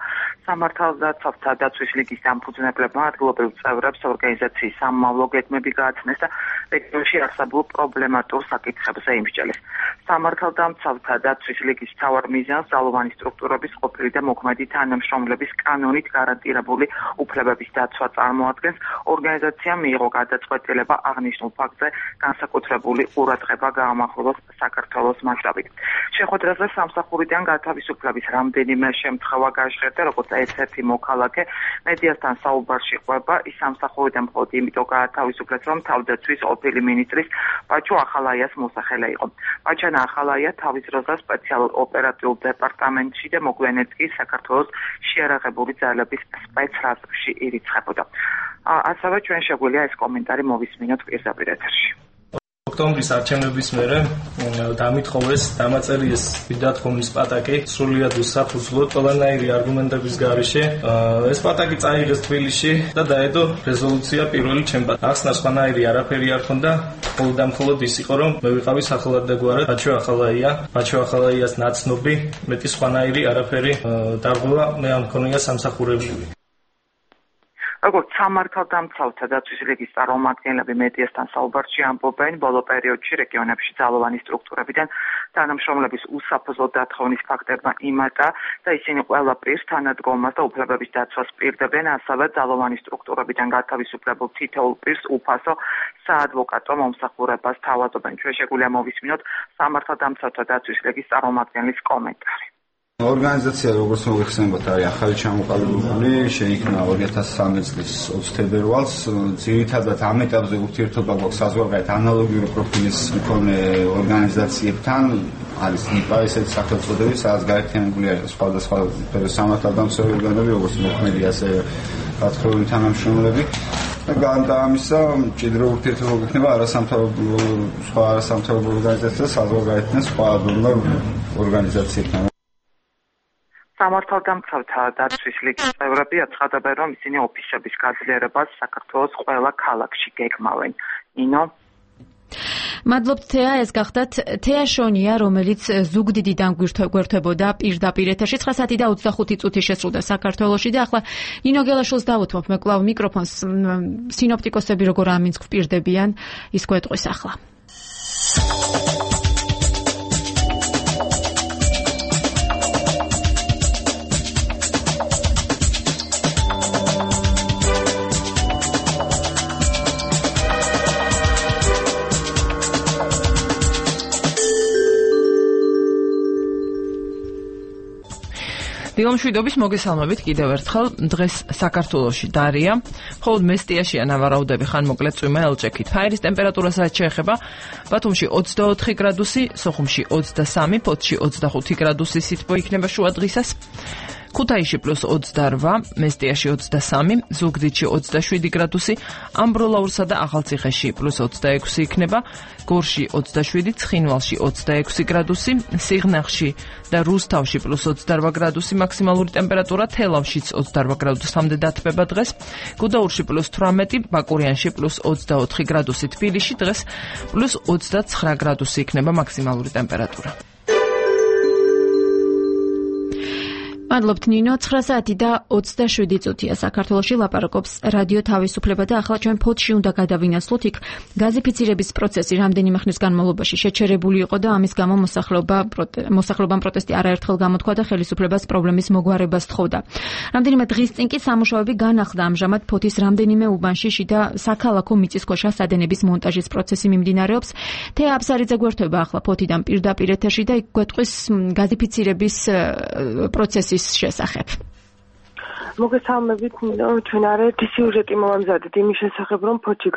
სამართალდამცავთა დაცვის ლიგის დამფუძნებლებმა ადგილობრივ წევრებს ორგანიზაციის სამმავლო გეგმები გააცნეს და რეგიონში არსებულ პრობლემატურ საკითხებზე იმსჯელეს. სამართალდამცავთა დაცვის ლიგის მთავარ მიზანს ძალოვანი სტრუქტურების ყოფილი და მოქმედი თანამშრომლების კანონით გარანტირებული უფლებების დაცვა წარმოადგენს. ორგანიზაციამ მიიღო გადაწყვეტილება აღნიშნულ ფაქტზე განსაკუთრებული ყურადღება გაამახვილოს საქართველოს მასშტაბით. შეხვედრაზე სამსახურიდან გათავისუფლების რამდენიმე შემთხვევა გაჟღერდა, როგორც ერთ-ერთი მოქალაქე მედიასთან საუბარში ყვება, ის სამსახურიდან მხოლოდ იმიტომ გაათავისუფლეს, რომ თავდაცვის ყოფილი მინისტრის ბაჩო ახალაიას მოსახელე იყო. ბაჩანა ახალაია თავის დროზე სპეციალურ ოპერატიულ დეპარტამენტში და მოგვიანებით კი საქართველოს შეიარაღებული ძალების სპეცრაზში ირიცხებოდა. ასევე ჩვენ შეგვიძლია ეს კომენტარი მოვისმინოთ პირდაპირ ეთერში. ოქტომბრის არჩევნების მერე დამითხოვეს დამაწერიეს დათხოვნის პატაკი სრულიად უსაფუძვლოდ ყველანაირი არგუმენტების გარეშე. ეს პატაკი წაიღეს თბილისში და დაედო რეზოლუცია პირველი ჩემპionat. ახსნა სხვანაირი არაფერი არ ქონდა, მხოლოდ და მხოლოდ ის იყო, რომ მე ვიყავი სახელადდაგვარად ბაჩო ახალაია, ბაჩო ახალაიას ნაცნობი, მეტი სხვანაირი არაფერი დარღვევა მე არ მქონია სამსახურებული. როგორც სამართალდამცავთა დაცვის ლიგის წარმომადგენლები მედიასთან საუბარში ამბობენ, ბოლო პერიოდში რეგიონებში ძალოვანი სტრუქტურებიდან თანამშრომლების უსაფრთხო დათხოვნის ფაქტებმა იმატა და ისინი ყველა პირს თანადგომას და უფლებების დაცვას პირდებენ, ასევე ძალოვანი სტრუქტურებიდან გათავისუფლებულ თითოეულ პირს უფასო საადვოკატო მომსახურებას თავაზობენ. ჩვენ შეგვიძლია მოვისმინოთ სამართალდამცავთა დაცვის ლიგის წარმომადგენლის კომენტარი. ორგანიზაცია როგორც მოიხსენებათ არის ახალი ჩამოყალიბებული, შეიქმნა ორი ათას სამი წლის ოცი თებერვალს. ძირითადად ამ ეტაპზე ურთიერთობა გვაქვს საზღვარგარეთ ანალოგიური პროფილის მქონე ორგანიზაციებთან, არის იპა ესეთი სახელწოდებით, სადაც გაერთიანებულია სხვადასხვა სამართალდამცავი ორგანოები, როგორც მოქმედი ასე გათხოვილი თანამშრომლები. და გარდა ამისა, მჭიდრო ურთიერთობა გვექნება არასამთავრობო სხვა არასამთავრობო ორგანიზაციებთან, საზღვარგარეთთან, სხვა ორგანიზაციებთან. სამართალდამცავთა დაცვის ლიგის წევრები აცხადებენ, რომ ისინი ოფისების გაძლიერებას საქართველოს ყველა ქალაქში გეგმავენ. ნინო მადლობთ თეა, ეს გახდათ თეა შონია, რომელიც ზუგდიდიდან გვერდებოდა პირდაპირ ეთერში. ცხრა საათი და ოცდახუთი წუთი შესრულდა საქართველოში და ახლა ნინო გელაშვილს დავუთმობ მე კვლავ მიკროფონს. სინოპტიკოსები როგორ ამინს გვპირდებიან, ის გვეტყვის ახლა. დილამშვიდობის მოგესალმებით კიდევ ერთხელ. დღეს საქართველოში დარია. მხოლოდ მესტიაში ანავარაუდები ხანმოკლე წვიმა ელჭექით. ჰაერის ტემპერატურა საათს შეეხება ბათუმში ოცდაოთხი გრადუსი, სოხუმში ოცდასამი, ფოთში ოცდახუთი გრადუსი სითბო იქნება შუა დღისას. ქუთაისში პლუს ოცდაორვა, მესტიაში ოცდასამი, ზუგდიდში ოცდაშვიდი გრადუსი, ამბროლაურსა და ახალციხეში პლუს ოცდაექვსი იქნება, გორში ოცდაშვიდი, ცხინვალში ოცდაექვსი გრადუსი, სიღნაღში და რუსთავში პლუს ოცდაორვა გრადუსი მაქსიმალური ტემპერატურა, თელავშიც ოცდაორვა გრადუსამდე დათბება დღეს, გუდაურში პლუს თვრამეტი, ბაკურიანში პლუს ოცდაოთხი გრადუსი, თბილისში დღეს პლუს ოცდაცხრა გრადუსი იქნება მაქსიმალური ტემპერატურა. მადლობთ ნინო, ცხრა საათი და ოცდაშვიდი წუთია საქართველოში, ლაპარაკობს რადიო თავისუფლება და ახლა ჩვენ ფოთში უნდა გადავინაცვლოთ. იქ გაზიფიცირების პროცესი რამდენიმე ხნის განმავლობაში შეჩერებული იყო და ამის გამო მოსახლეობა მოსახლეობამ პროტესტი არაერთხელ გამოთქვა და ხელისუფლებას პრობლემის მოგვარებას თხოვდა. რამდენიმე დღის წინ კი სამუშაოები განახლდა. ამჟამად ფოთის რამდენიმე უბანში შიდა საქალაქო მიწისქვეშა სადენების მონტაჟის პროცესი მიმდინარეობს. თეა აბსარიძე გვერდება ახლა ფოთიდან პირდაპირ ეთერში და იქ გვეტყვის გაზიფიცირების პროცესის შესახებ. მოგესალმებით, ჩვენ არაერთი სიუჟეტი მოვამზადეთ იმის შესახებ, რომ ფოთში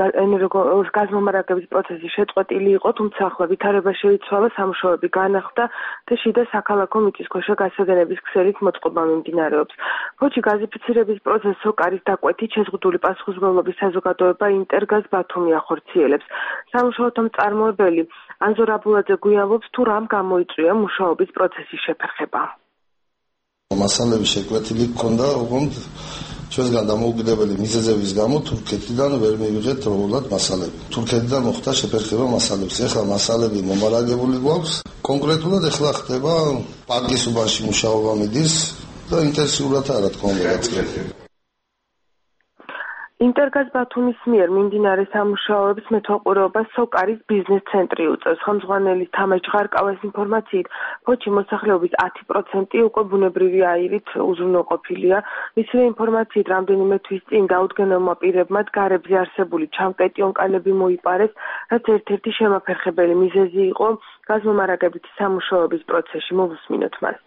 გაზმომარაგების პროცესი შეწყვეტილი იყო, თუმცა ახლა ვითარება შეიცვალა, სამუშაოები განახლდა და შიდა საქალაქო მიწისქვეშა გასადენების ქსელით მოწყობა მიმდინარეობს. ფოთში გაზიფიცირების პროცესს სოკარის დაკვეთით შეზღუდული პასუხისმგებლობის საზოგადოება ინტერგაზ ბათუმი ახორციელებს. სამუშაოთა მწარმოებელი ანზორ აბულაძე გვიამბობს, თუ რამ გამოიწვია მუშაობის პროცესის შეფერხება. მასალები შეკვეთილი ჰქონდა, უგონთ ჩვენგან დამოუკიდებელი მიზეზების გამო თურქეთიდან ვერ მივიღეთ როლად მასალები. თურქეთიდან მოხდა შეფერხება მასალებს. ეხლა მასალები მომარაგებული გვაქვს. კონკრეტულად ეხლა ხდება პარკის უბანში მუშაობა მიდის და ინტენსიურად არა თქმა უნდა გაწყდება. ინტერგაზ ბათუმის მიერ მიმდინარე სამუშაოებს მეთვალყურეობას სოკარის ბიზნეს ცენტრი უწევს. ხელმძღვანელის თამაშ ჟღარკავას ინფორმაციით, ფოთში მოსახლეობის ათი პროცენტი უკვე ბუნებრივი აირით უზრუნველყოფილია. მისივე ინფორმაციით, რამდენიმე თვის წინ დაუდგენელმა პირებმა გარებზე არსებული ჩამკეტი ონკალები მოიპარეს, რაც ერთ-ერთი შემაფერხებელი მიზეზი იყო გაზმომარაგებითი სამუშაოების პროცესში. მოვუსმინოთ მას.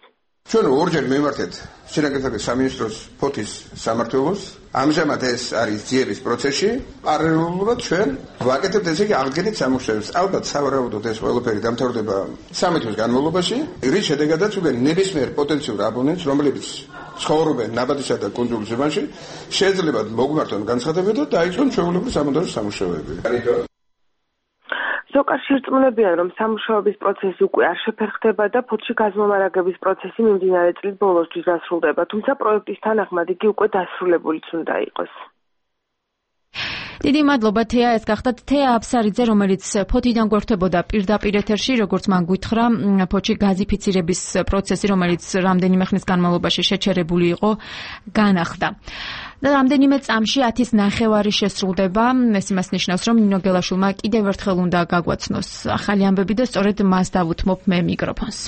ჩვენ ორჯერ მივმართეთ შინაგანსაკუთრების სამინისტროს ფოთის სამმართველოს. ამჟამად ეს არის ძიების პროცესში. პარალელურად ჩვენ ვაკეთებთ ესე იგი აღდგენით სამუშაოებს. ალბათ სავარაუდოდ ეს ყველაფერი დამთავრდება სამი თვის განმავლობაში, რის შედეგადაც უკვე ნებისმიერ პოტენციურ აბონენტს, რომლებიც ცხოვრობენ ნაბადისა და კუნძულ ზემანში, შეიძლება მოგვმართონ განცხადებები და დაიწყონ ჩვეულებრივი სამონტაჟო სამუშაოები. სოკარში რწმუნებიან, რომ სამუშაოების პროცესი უკვე არ შეფერხდება და ფოთში გაზმომარაგების პროცესი მიმდინარე წლის ბოლოსთვის დასრულდება, თუმცა პროექტის თანახმად იგი უკვე დასრულებულიც უნდა იყოს. დიდი მადლობა თეა, ეს გახდათ თეა აბსარიძე, რომელიც ფოთიდან გვერდებოდა პირდაპირ ეთერში, როგორც მან გითხრა, ფოთში გაზიფიცირების პროცესი, რომელიც რამდენიმე ხნის განმავლობაში შეჩერებული იყო, განახლდა. და რამდენიმე წამში ათის ნახევარი შესრულდება. ეს იმას ნიშნავს, რომ ნინო გელაშვილმა კიდევ ერთხელ უნდა გაგვაცნოს ახალი ამბები და სწორედ მას დავუთმობ მე მიკროფონს.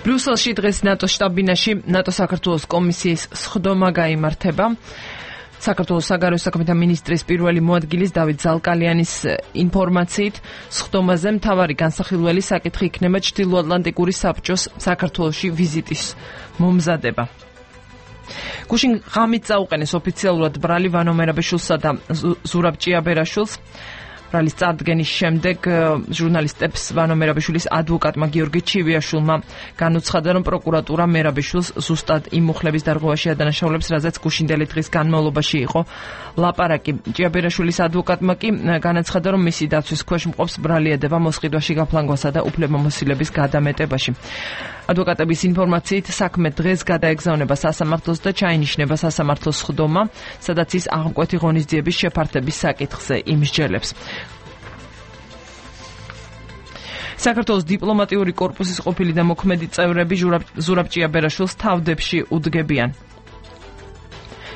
ბრიუსელში დღეს ნატოს შტაბ-ბინაში ნატო საქართველოს კომისიის სხდომა გაიმართება. საქართველოს საგარეო საქმეთა მინისტრის პირველი მოადგილის დავით ზალკალიანის ინფორმაციით, სხდომაზე მთავარი განსახილველი საკითხი იქნება ჩრდილოატლანტიკური საბჭოს საქართველოში ვიზიტის მომზადება. გუშინ ღამით წაუყენეს ოფიციალურად ბრალი ვანო მერაბეშვილსა და ზურაბ ჭიაბერაშვილს. ბრალის წარდგენის შემდეგ ჟურნალისტებს ვანო მერაბეშვილის ადვოკატმა გიორგი ჩივიაშვილმა განუცხადა, რომ პროკურატურა მერაბეშვილს ზუსტად იმ მუხლების დარღვევაში ადანაშაულებს, რაზეც გუშინდელი დღის განმავლობაში იყო ლაპარაკი. ჭიაბერაშვილის ადვოკატმა კი განაცხადა, რომ მისი დაცვის ქვეშ მყოფს ბრალი ედება მოსყიდვაში გაფლანგვასა და უფლებამოსილების გადამეტებაში. ადვოკატების ინფორმაციით, საქმე დღეს გადაეგზავნება სასამართლოს და ჩაინიშნება სასამართლოს სხდომა, სადაც ის აღმკვეთი ღონისძიების შეფართების საკითხზე იმსჯელებს. საქართველოს დიპლომატიური კორპუსის ყოფილი და მოქმედი წევრები ზურაბ ჭიაბერაშვილს თავდებში უდგებიან.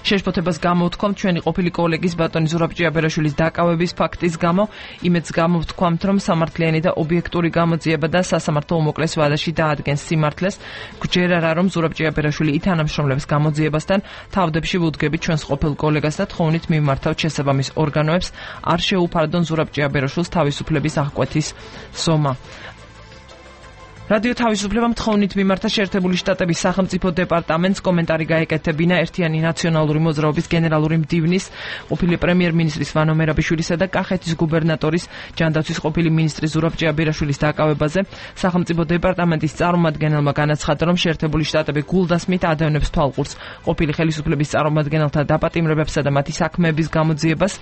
შეშფოთებას გამოვთქვამთ ჩვენი ყოფილი კოლეგის ბატონი ზურაბ ჭიაბერაშვილის დაკავების ფაქტის გამო, იმედს გამოვთქვამთ, რომ სამართლიანი და ობიექტური გამოძიება და სასამართლო უმოკლეს ვადაში დაადგენს სიმართლეს. გვჯერ არა, რომ ზურაბ ჭიაბერაშვილი ითანამშრომლებს გამოძიებასთან, თავდებში ვუდგებით ჩვენს ყოფილ კოლეგას და თხოვნით მიმართავთ შესაბამის ორგანოებს, არ შეუფარდონ ზურაბ ჭიაბერაშვილს თავისუფლების აღკვეთის ზომა. რადიო თავისუფლებამ თხოვნით მიმართა შეერთებული შტატების სახელმწიფო დეპარტამენტს, კომენტარი გაეკეთებინა ერთიანი ნაციონალური მოძრაობის გენერალური მდივნის, ყოფილი პრემიერ-მინისტრის ვანო მერაბიშვილისა და კახეთის გუბერნატორის ჯანდაცვის ყოფილი მინისტრის ზურაბ ჭიაბერაშვილის დაკავებაზე. სახელმწიფო დეპარტამენტის წარმომადგენელმა განაცხადა, რომ შეერთებული შტატები გულდასმით ადევნებს თვალყურს ყოფილი ხელისუფლების წარმომადგენელთა დაპატიმრებებსა და მათი საქმეების გამოძიებას.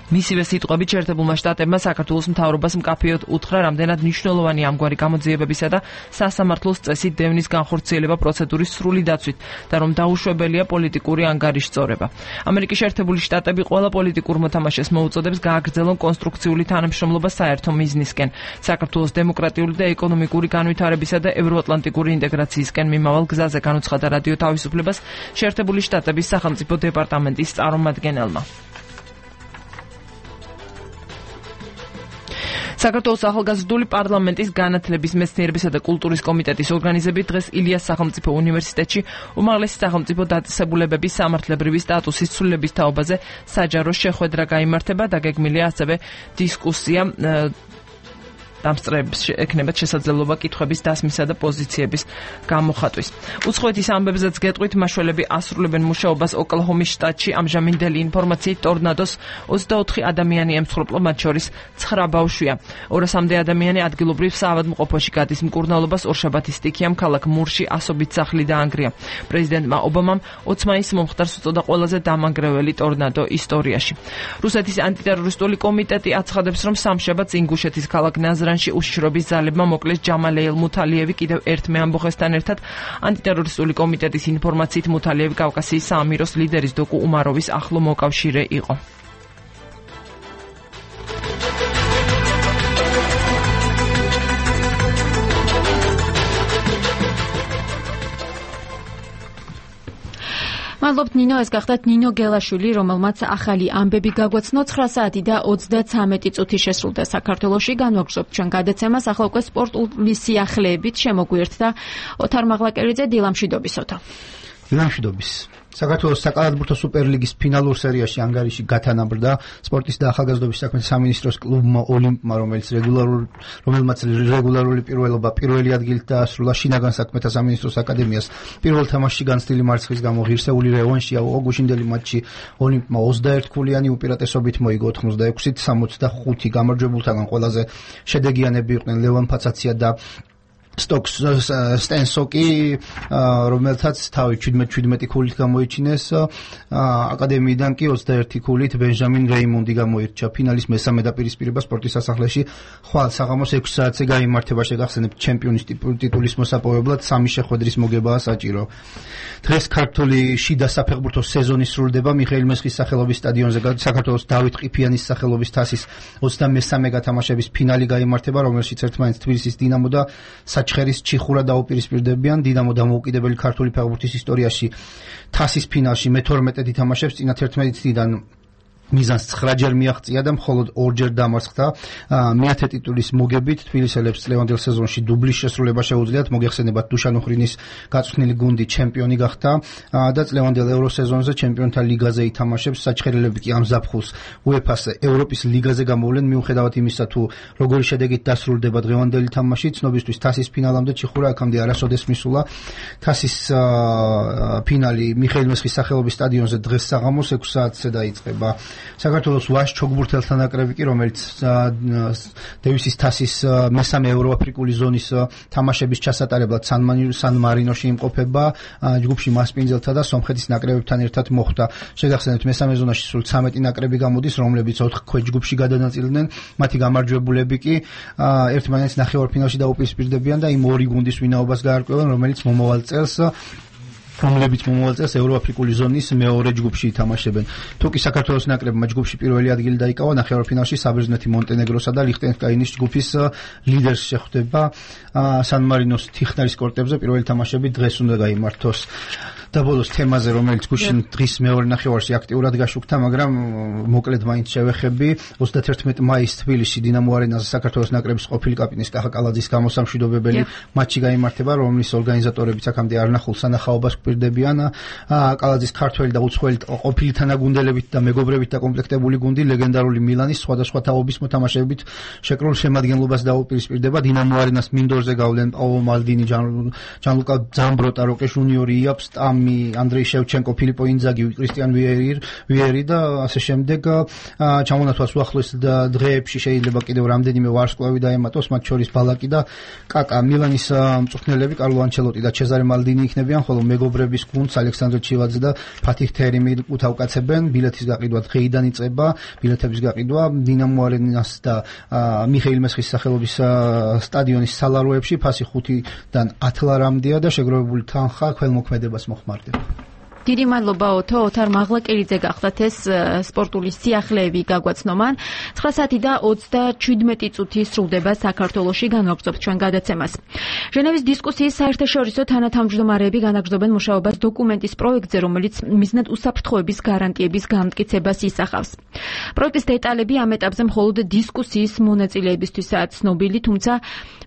მისივე სიტყვებით შეერთებულმა შტატებმა საქართველოს მთავრობას მკაფიოდ უთხრა, რამდენად მნიშვნელოვანი ამგვარი გამოძიებებისა და სასამართლოს წესით დევნის განხორციელება პროცედურის სრული დაცვით და რომ დაუშვებელია პოლიტიკური ანგარიშწორება. ამერიკის შეერთებული შტატები ყველა პოლიტიკურ მოთამაშეს მოუწოდებს გააგრძელონ კონსტრუქციული თანამშრომლობა საერთო მიზნისკენ, საქართველოს დემოკრატიული და ეკონომიკური განვითარებისა და ევროატლანტიკური ინტეგრაციისკენ მიმავალ გზაზე, განუცხადა რადიო თავისუფლებას შეერთებული შტატების სახელმწიფო დეპარტამენტის წარმომადგენელმა. საქართველოს ახალგაზრდული პარლამენტის განათლების, მეცნიერებისა და კულტურის კომიტეტის ორგანიზებით დღეს ილიას სახელმწიფო უნივერსიტეტში უმაღლესი სახელმწიფო დაწესებულებების სამართლებრივი სტატუსის ცვლილების თაობაზე საჯარო შეხვედრა გაიმართება. დაგეგმილია ასევე დისკუსია დამსწრეებს ექნებათ შესაძლებლობა კითხვების დასმისა და პოზიციების გამოხატვის. უცხოეთის ამბებზეც გეტყვით, მაშველები ასრულებენ მუშაობას ოკლაჰომის შტატში. ამჟამინდელი ინფორმაციით ტორნადოს ოცდაოთხი ადამიანი ემსხვერპლა, მათ შორის ცხრა ბავშვია. ორასამდე ადამიანი ადგილობრივ საავადმყოფოში გადის მკურნალობას. ორშაბათის სტიქიამ ქალაქ მურში ასობით სახლი დაანგრია. პრეზიდენტმა ობამამ ოცი მაისს მომხდარს უწოდა ყველაზე დამანგრეველი ტორნადო ისტორიაში. რუსეთის ანტიტერორისტული კომიტეტი აცხადებს, რომ სამშაბათს ინგუშეთის ქალაქ ნაზრანში უშიშრობის ძალებმა მოკლეს ჯამალეილ მუთალიევი. კიდევ ერთ მეამბოხესთან ერთად ანტიტერორისტული კომიტეტის ინფორმაციით მუთალიევი კავკასიის საამიროს ლიდერის დოკუ უმაროვის ახლო მოკავშირე იყო. მადლობთ ნინო, ეს გახდათ ნინო გელაშვილი, რომელმაც ახალი ამბები გაგვაცნო. ცხრა საათი და ოცდაცამეტი წუთი შესრულდა საქართველოში. განვაგრძობთ ჩვენ გადაცემას, ახლა უკვე სპორტული სიახლეებით შემოგვიერთდა ოთარ მაღლაკერიძე. დილამშვიდობის ოთარ. დილამშვიდობის. საქართველოს საკალათბურთო სუპერლიგის ფინალურ სერიაში ანგარიში გათანაბრდა სპორტის და ახალგაზრდობის საქმეთა სამინისტროს კლუბმა ოლიმპმა, რომელიც რეგულარულ რომელმაც რეგულარული პირველობა პირველი ადგილით დაასრულა შინაგან საქმეთა სამინისტროს აკადემიას. პირველ თამაშში განცდილი მარცხის გამო ღირსეული რევანში აუღო. გუშინდელი მატჩი ოლიმპმა ოცდაერთი ქულიანი უპირატესობით მოიგო ოცდაექვსით სამოცდახუთი. გამარჯვებულთაგან ყველაზე შედეგიანები იყვნენ ლევან ფაცაცია და სტოკს სტენსოკი რომელთაც თავი შვიდმეტ შვიდმეტი ქულით გამოიჩინეს აკადემიიდან კი ოცდაერთი ქულით ბენჟამინ რეიმონდი გამოირჩა ფინალის მესამე დაპირისპირება სპორტის სასახლეში ხვალ საღამოს ექვსი საათზე გაიმართება შეგახსენებთ ჩემპიონის ტიტულის მოსაპოვებლად სამი შეხვედრის მოგებაა საჭირო დღეს ქართული შიდა საფეხბურთო სეზონი სრულდება მიხეილ მესხის სახელობის სტადიონზე საქართველოს დავით ყიფიანის სახელობის თასის ოცდამესამე გათამაშების ფინალი გაიმართება რომელშიც ერთმანეთს თბილისის დინამო და ჩხერის ჩიხურა დაუპირისპირდებიან დინამო დამოუკიდებელი ქართული ფეხბურთის ისტორიაში თასის ფინალში მეთორმეტე ითამაშებს წინა თერთმეტი წლიდან მიზანს ცხრაჯერ მიაღწია და მხოლოდ ორჯერ დამარცხდა მეათე ტიტულის მოგებით თბილისელებს წლევანდელ სეზონში დუბლის შესრულება შეუძლიათ მოგეხსენებათ დუშან ოხრინის გაწვრთნილი გუნდი ჩემპიონი გახდა და წლევანდელ ევროსეზონზე ჩემპიონთა ლიგაზე ითამაშებს საჩხერელები კი ამ ზაფხულს უეფას ევროპის ლიგაზე გამოვლენ მიუხედავად იმისა თუ როგორი შედეგით დასრულდება დღევანდელი თამაში ცნობისთვის თასის ფინალამდე ჩიხურა აქამდე არასოდეს მისულა თასის ფინალი მიხეილ მესხის სახელობის სტადიონზე დღეს საღამოს ექვსი საათზე დაიწყება საქართველოს ვაშ ჩოგბურთელთა ნაკრები კი რომელიც დევისის თასის მესამე ევროაფრიკული ზონის თამაშების ჩასატარებლად სან-მარინოში იმყოფება ჯგუფში მასპინძელთა და სომხეთის ნაკრებებთან ერთად მოხვდა შეგახსენებთ მესამე ზონაში სულ ცამეტი ნაკრები გამოდის რომლებიც ოთხ ქვეჯგუფში გადანაწილდნენ მათი გამარჯვებულები კი ერთმანეთს ნახევარფინალში დაუპირისპირდებიან და იმ ორი გუნდის ვინაობას გაარკვევენ რომელიც მომავალ წელს რომლებიც მომავალ წელს ევროაფრიკული ზონის მეორე ჯგუფში ითამაშებენ. თუ კი საქართველოს ნაკრებმა ჯგუფში პირველი ადგილი დაიკავა, ნახევარფინალში საბერძნეთი მონტენეგროსა და ლიხტენშტაინის ჯგუფის ლიდერს შეხვდება. სან-მარინოს თიხნარის კორტებზე პირველი თამაშები დღეს უნდა გაიმართოს. და ბოლოს თემაზე რომელიც გუშინ დღის მეორე ნახევარში აქტიურად გაშუქდა, მაგრამ მოკლედ მაინც შევეხები. ოცდათერთმეტი მაისს თბილისში დინამო არენაზე საქართველოს ნაკრების ყოფილი კაპიტნის კახა კალაძის გამოსამშვიდობებელი მატჩი გაიმართება, რომლის ორგანიზატორებიც აქამდე არნახულ სანახაობას გვპირდებიან. კალაძის ქართველი და უცხოელი ყოფილი თანაგუნდელებით და მეგობრებით დაკომპლექტებული გუნდი ლეგენდარული მილანის სხვადასხვა თაობის მოთამაშეებით შეკრულ შემადგენლობას დაუპირისპირდება. დინამო არენას მინდორზე გავლენ პაულო მალდინი, ჯანლუკა ზამბროტა, როკე ჟუნიორი, იაპს ანდრეი შევჩენკო, ფილიპო ინძაგი, კრისტიან ვიერი და ასე შემდეგ ჩამონათვას უახლოეს დღეებში შეიძლება კიდევ რამდენიმე ვარსკვლავი დაემატოს, მათ შორის ბალაკი და კაკა. მილანის მწვრთნელები კარლო ანჩელოტი და ჩეზარე მალდინი იქნებიან, ხოლო მეგობრების გუნდს ალექსანდრე ჩილაძე და ფათიხ თერიმი უთავკაცებენ. ბილეთის გაყიდვა დღეიდან იწყება, ბილეთების გაყიდვა დინამო არენას და მიხეილ მესხის სახელობის სტადიონის სალაროებში ფასი ხუთიდან ათი ლარამდეა და შეგროვებული თანხა ქველმოქმედებას მოხმარდება. დიდი მადლობა ოთო, ოთარ მაღლაკელიძე გახდათ ეს სპორტული სიახლეები გაგვაცნომან. ცხრა საათი და ოცდაშვიდმეტი წუთი სრულდება საქართველოში, განვაგრძობთ ჩვენ გადაცემას. ჟენევის დისკუსიის საერთაშორისო თანათავმჯდომარეები განაგრძობენ მუშაობას დოკუმენტის პროექტზე, რომელიც მიზნად უსაფრთხოების გარანტიების გამტკიცებას ისახავს. პროექტის დეტალები ამ ეტაპზე მხოლოდ დისკუსიის მონაწილეებისთვისაა ცნობილი, თუმცა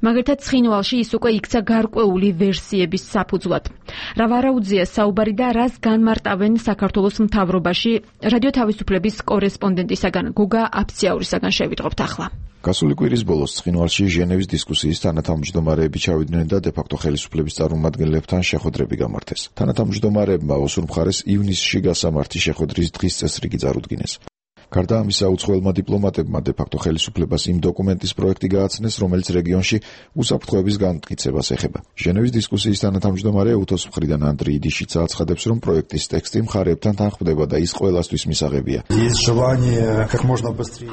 მაგალითად ცხინვალში ის უკვე იქცა გარკვეული ვერსიების საფუძვლად. რა ვარაუდზეა საუბარი და რას განმარტავენ საქართველოს მთავრობაში? რადიო თავისუფლების კორესპონდენტისაგან გოგა აფციაურისაგან შევიტყობთ ახლა. გასული კვირის ბოლოს ცხინვალში ჟენევის დისკუსიის თანათავმჯდომარეები ჩავიდნენ და დე-ფაქტო ხელისუფლების წარმომადგენლებთან შეხვედრები გამართეს. თანათავმჯდომარეებმა ოსურ მხარეს ივნისში გასამართი შეხვედრის დღის წესრიგი წარუდგინეს. გარდა ამისა, უცხოელმა დიპლომატებმა დე-ფაქტო ხელისუფლებას იმ დოკუმენტის პროექტი გააცნეს, რომელიც რეგიონში უსაფრთხოების განმტკიცებას ეხება. ჟენევის დისკუსიის თანათავმჯდომარე უთოს მხრიდან ანდრეი დიშიცა აცხადებს, რომ პროექტის ტექსტი მხარეებთან თანხმდება და ის ყველასთვის მისაღებია.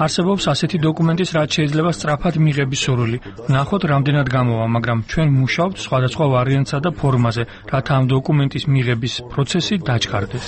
არსებობს ასეთი დოკუმენტის, რაც შეიძლება სწრაფად მიღების სურვილი. ნახოთ, რამდენად გამოვა, მაგრამ ჩვენ მუშაობთ სხვადასხვა ვარიანტსა და ფორმაზე, რათა ამ დოკუმენტის მიღების პროცესი დაჩქარდეს.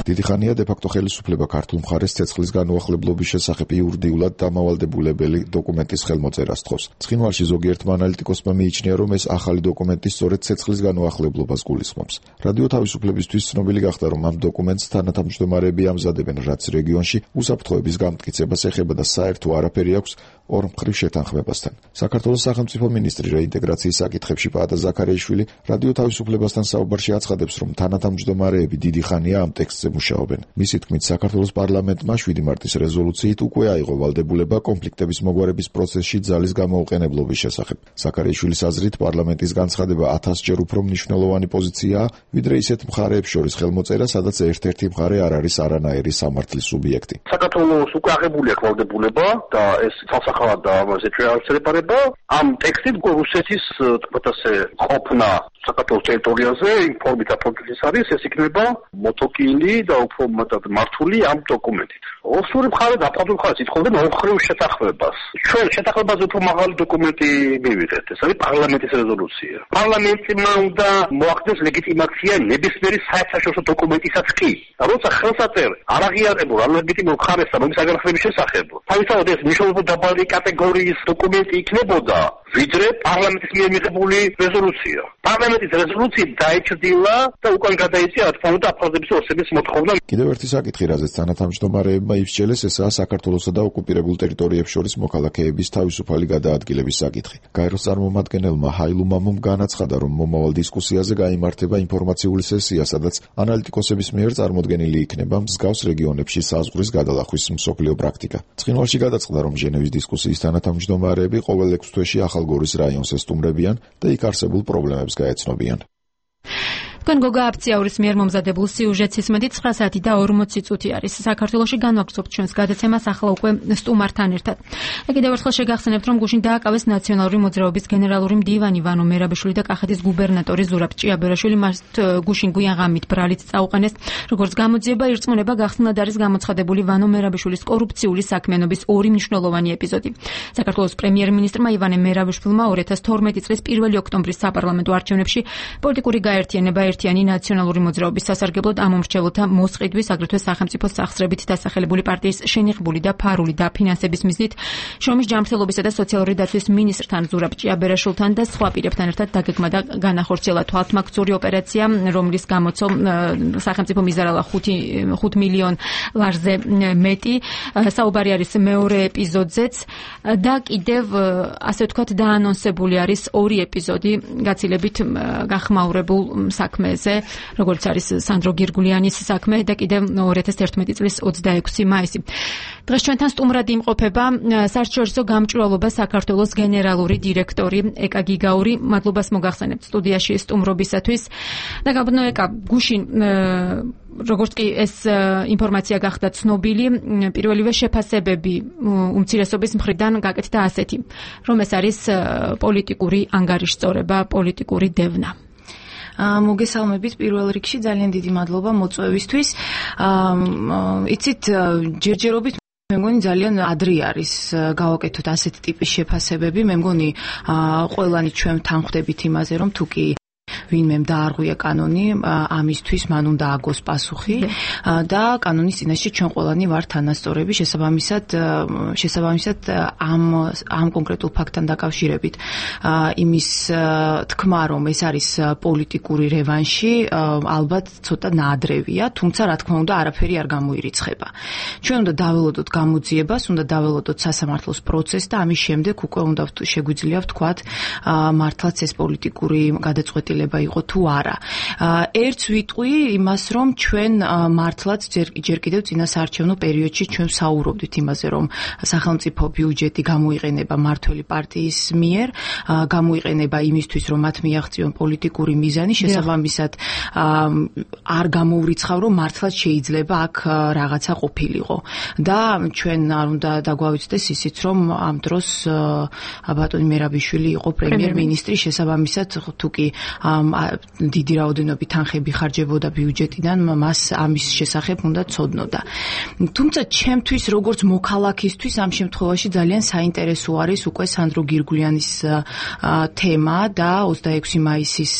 დიდი ხანია დე-ფაქტო ხელისუფლება ქართულ მხარეს ცეცხლის განუახლებლობის შესახებ იურიდიულად დამავალდებულებელი დოკუმენტის ხელმოწერას თხოვს. ცხინვალში ზოგიერთმა ანალიტიკოსმა მიიჩნია, რომ ეს ახალი დოკუმენტი სწორედ ცეცხლის განუახლებლობას გულისხმობს. რადიო თავისუფლებისთვის ცნობილი გახდა, რომ ამ დოკუმენტს თანათავმჯდომარეები ამზადებენ, რაც რეგიონში უსაფრთხოების გამტკიცებას ეხება და საერთო არაფერი აქვს ორმხრივ შეთანხმებასთან. საქართველოს სახელმწიფო მინისტრი რეინტეგრაციის საკითხებში პაატა ზაქარიაშვილი რადიო თავისუფლებასთან საუბარში აცხადებს, რომ თანათავმჯდომარეები დიდი ხანია ამ ტექსტზე მუშაობენ. მისი თქმით, საქართველოს პარლამენტმა შვიდი მარტის რეზოლუციით უკვე აიღო ვალდებულება კონფლიქტების მოგვარების პროცესში ძალის გამოუყენებლობის შესახებ. ზაქარიაშვილის აზრით, პარლამენტის განცხადება ათასჯერ უფრო მნიშვნელოვანი პოზიციაა, ვიდრე ისეთ მხარეებს შორის ხელმოწერა, სადაც ერთ-ერთი მხარე არ არის არანაირი სამართლის სუბიექტი. საქართველოს უკვე აღებული აქვს ვალდებულება და ეს ახლა და ამაზე შეაჩერება ამ ტექსტით რუსეთის თქმა ასე ყოფნა საქართველოს ტერიტორიაზე იმ ფორმით აპროცესის არის ეს იქნება მოტოკილი და უფრო მეტად მართული ამ დოკუმენტით. ოსური მხარე და აპროცესის მხარე ითხოვდნენ ოხრიულ შეთანხმებას. ჩვენ შეთანხმებაზე უფრო მაღალი დოკუმენტი მივიღეთ. ეს არის პარლამენტის რეზოლუცია. პარლამენტმა უნდა მოახდენს ლეგიტიმაცია ნებისმიერი საერთაშორისო დოკუმენტისაც კი. როცა ხელსაწერ არ აღიარებულ ან ლეგიტიმურ მხარესთან მის საგანახების შესახებ. თავისთავად ეს მნიშვნელოვნად დაბალი კატეგორიის დოკუმენტი იქნებოდა, ვიდრე პარლამენტის მიერ მიღებული რეზოლუცია. პარლამენტის რეზოლუცია დაიჭრილა და უკან გადაიწია რა თქმა უნდა აფხაზების ოსების მოთხოვნა. კიდევ ერთი საკითხი, რაზეც თანათავმჯდომარეებმა იფშელეს, ესაა საქართველოსა და ოკუპირებულ ტერიტორიებს შორის მოქალაქეების თავისუფალი გადაადგილების საკითხი. გაეროს წარმომადგენელმა ჰაილუ მამუმ განაცხადა, რომ მომავალ დისკუსიაზე გაიმართება ინფორმაციული სესია, სადაც ანალიტიკოსების მიერ წარმოდგენილი იქნება მსგავს რეგიონებში საზღვრის გადალახვის მსოფლიო პრაქტიკა. ცხინვალში გადაწყდა, რომ ჟენევის დისკუსიის თანათავმჯდომარეები ყოველ ექვს თვეში ახალგორის რაიონს ესტუმრებიან და იქ არსებულ პრობლემებს გაეცნობიან. თქვენ გოგა აფციაურის მიერ მომზადებულ სიუჟეტს ისმენთ ცხრა საათი და ორმოცი წუთი არის. საქართველოში განვაგრძობთ ჩვენს გადაცემას ახლა უკვე სტუმართან ერთად. და კიდევ ერთხელ შეგახსენებთ, რომ გუშინ დააკავეს ნაციონალური მოძრაობის გენერალური მდივანი ვანო მერაბიშვილი და კახეთის გუბერნატორი ზურაბ ჭიაბერაშვილი. მას გუშინ გვიან ღამით ბრალით წაუყენეს. როგორც გამოძიება ირწმუნება, გახსნად არის გამოცხადებული ვანო მერაბიშვილის კორუფციული საქმიანობის ორი მნიშვნელოვანი ეპიზოდი. საქართველოს პრემიერ-მინისტრმა ივანე მერაბიშვილმა ორი ათას თორმეტი წლის პირველი ოქტომბრის საპარლამენტო არჩევნებში პოლიტიკური გაერთიანება ერთიანი ნაციონალური მოძრაობის სასარგებლოდ ამომრჩეველთა მოსყიდვის, აგრეთვე სახელმწიფოს სახსრებით დასახელებული პარტიის შენიღბული და ფარული დაფინანსების მიზნით შრომის ჯანმრთელობისა და სოციალური დაცვის მინისტრთან ზურაბ ჭიაბერაშვილთან და სხვა პირებთან ერთად დაგეგმა და განახორციელა თვალთმაგცური ოპერაცია, რომლის გამოცო სახელმწიფო მიზარალა ხუთ მილიონ ლარზე მეტი. საუბარი არის მეორე ეპიზოდზეც და კიდევ ასე ვთქვათ დაანონსებული არის ორი ეპიზოდი გაცილებით გახმაურებულ საქმე საქმეზე, როგორც არის სანდრო გირგულიანის საქმე და კიდევ ორი ათას ერთმეტი წლის ოცდაექვსი მაისი. დღეს ჩვენთან სტუმრად იმყოფება საერთაშორისო გამჭვირვალობა საქართველოს გენერალური დირექტორი ეკა გიგაური. მადლობას მოგახსენებთ სტუდიაში სტუმრობისათვის. და გაბნო ეკა, გუშინ როგორც კი ეს ინფორმაცია გახდა ცნობილი, პირველივე შეფასებები უმცირესობის მხრიდან გაკეთდა ასეთი, რომ ეს არის პოლიტიკური ანგარიშწორება, პოლიტიკური დევნა. მოგესალმებით პირველ რიგში, ძალიან დიდი მადლობა მოწვევისთვის. იცით, ჯერჯერობით მე მგონი ძალიან ადრე არის გავაკეთოთ ასეთი ტიპის შეფასებები. მე მგონი ყველანი ჩვენ თანხმდებით იმაზე, რომ თუ კი ვინმემ დაარღვია კანონი, ამისთვის მან უნდა აგოს პასუხი და კანონის წინაშე ჩვენ ყველანი ვართ თანასწორები. შესაბამისად, შესაბამისად ამ ამ კონკრეტულ ფაქტთან დაკავშირებით იმის თქმა, რომ ეს არის პოლიტიკური რევანში, ალბათ ცოტა ნაადრევია, თუმცა რა თქმა უნდა არაფერი არ გამოირიცხება. ჩვენ უნდა დაველოდოთ გამოძიებას, უნდა დაველოდოთ სასამართლოს პროცესს და ამის შემდეგ უკვე უნდა შეგვიძლია ვთქვათ მართლაც ეს პოლიტიკური გადაწყვეტილება იყო თუ არა. ერთს ვიტყვი იმას, რომ ჩვენ მართლაც ჯერ კიდევ წინასაარჩევნო პერიოდში ჩვენ საუბრობდით იმაზე, რომ სახელმწიფო ბიუჯეტი გამოიყენება მართველი პარტიის მიერ, გამოიყენება იმისთვის, რომ მათ მიაღწიონ პოლიტიკური მიზანი, შესაბამისად არ გამოურიცხავ, რომ მართლაც შეიძლება აქ რაღაცა ყოფილიყო. და ჩვენ არ უნდა დაგვავიწყდეს ისიც, რომ ამ დროს ბატონი მერაბიშვილი იყო პრემიერ-მინისტრი, შესაბამისად თუ კი დიდი რაოდენობით თანხები ხარჯებოდა ბიუჯეტიდან, მას ამის შესახებ უნდა ცოდნოდა. თუმცა ჩემთვის როგორც მოქალაქისთვის ამ შემთხვევაში ძალიან საინტერესო არის უკვე სანდრო გირგულიანის თემა და ოცდაექვსი მაისის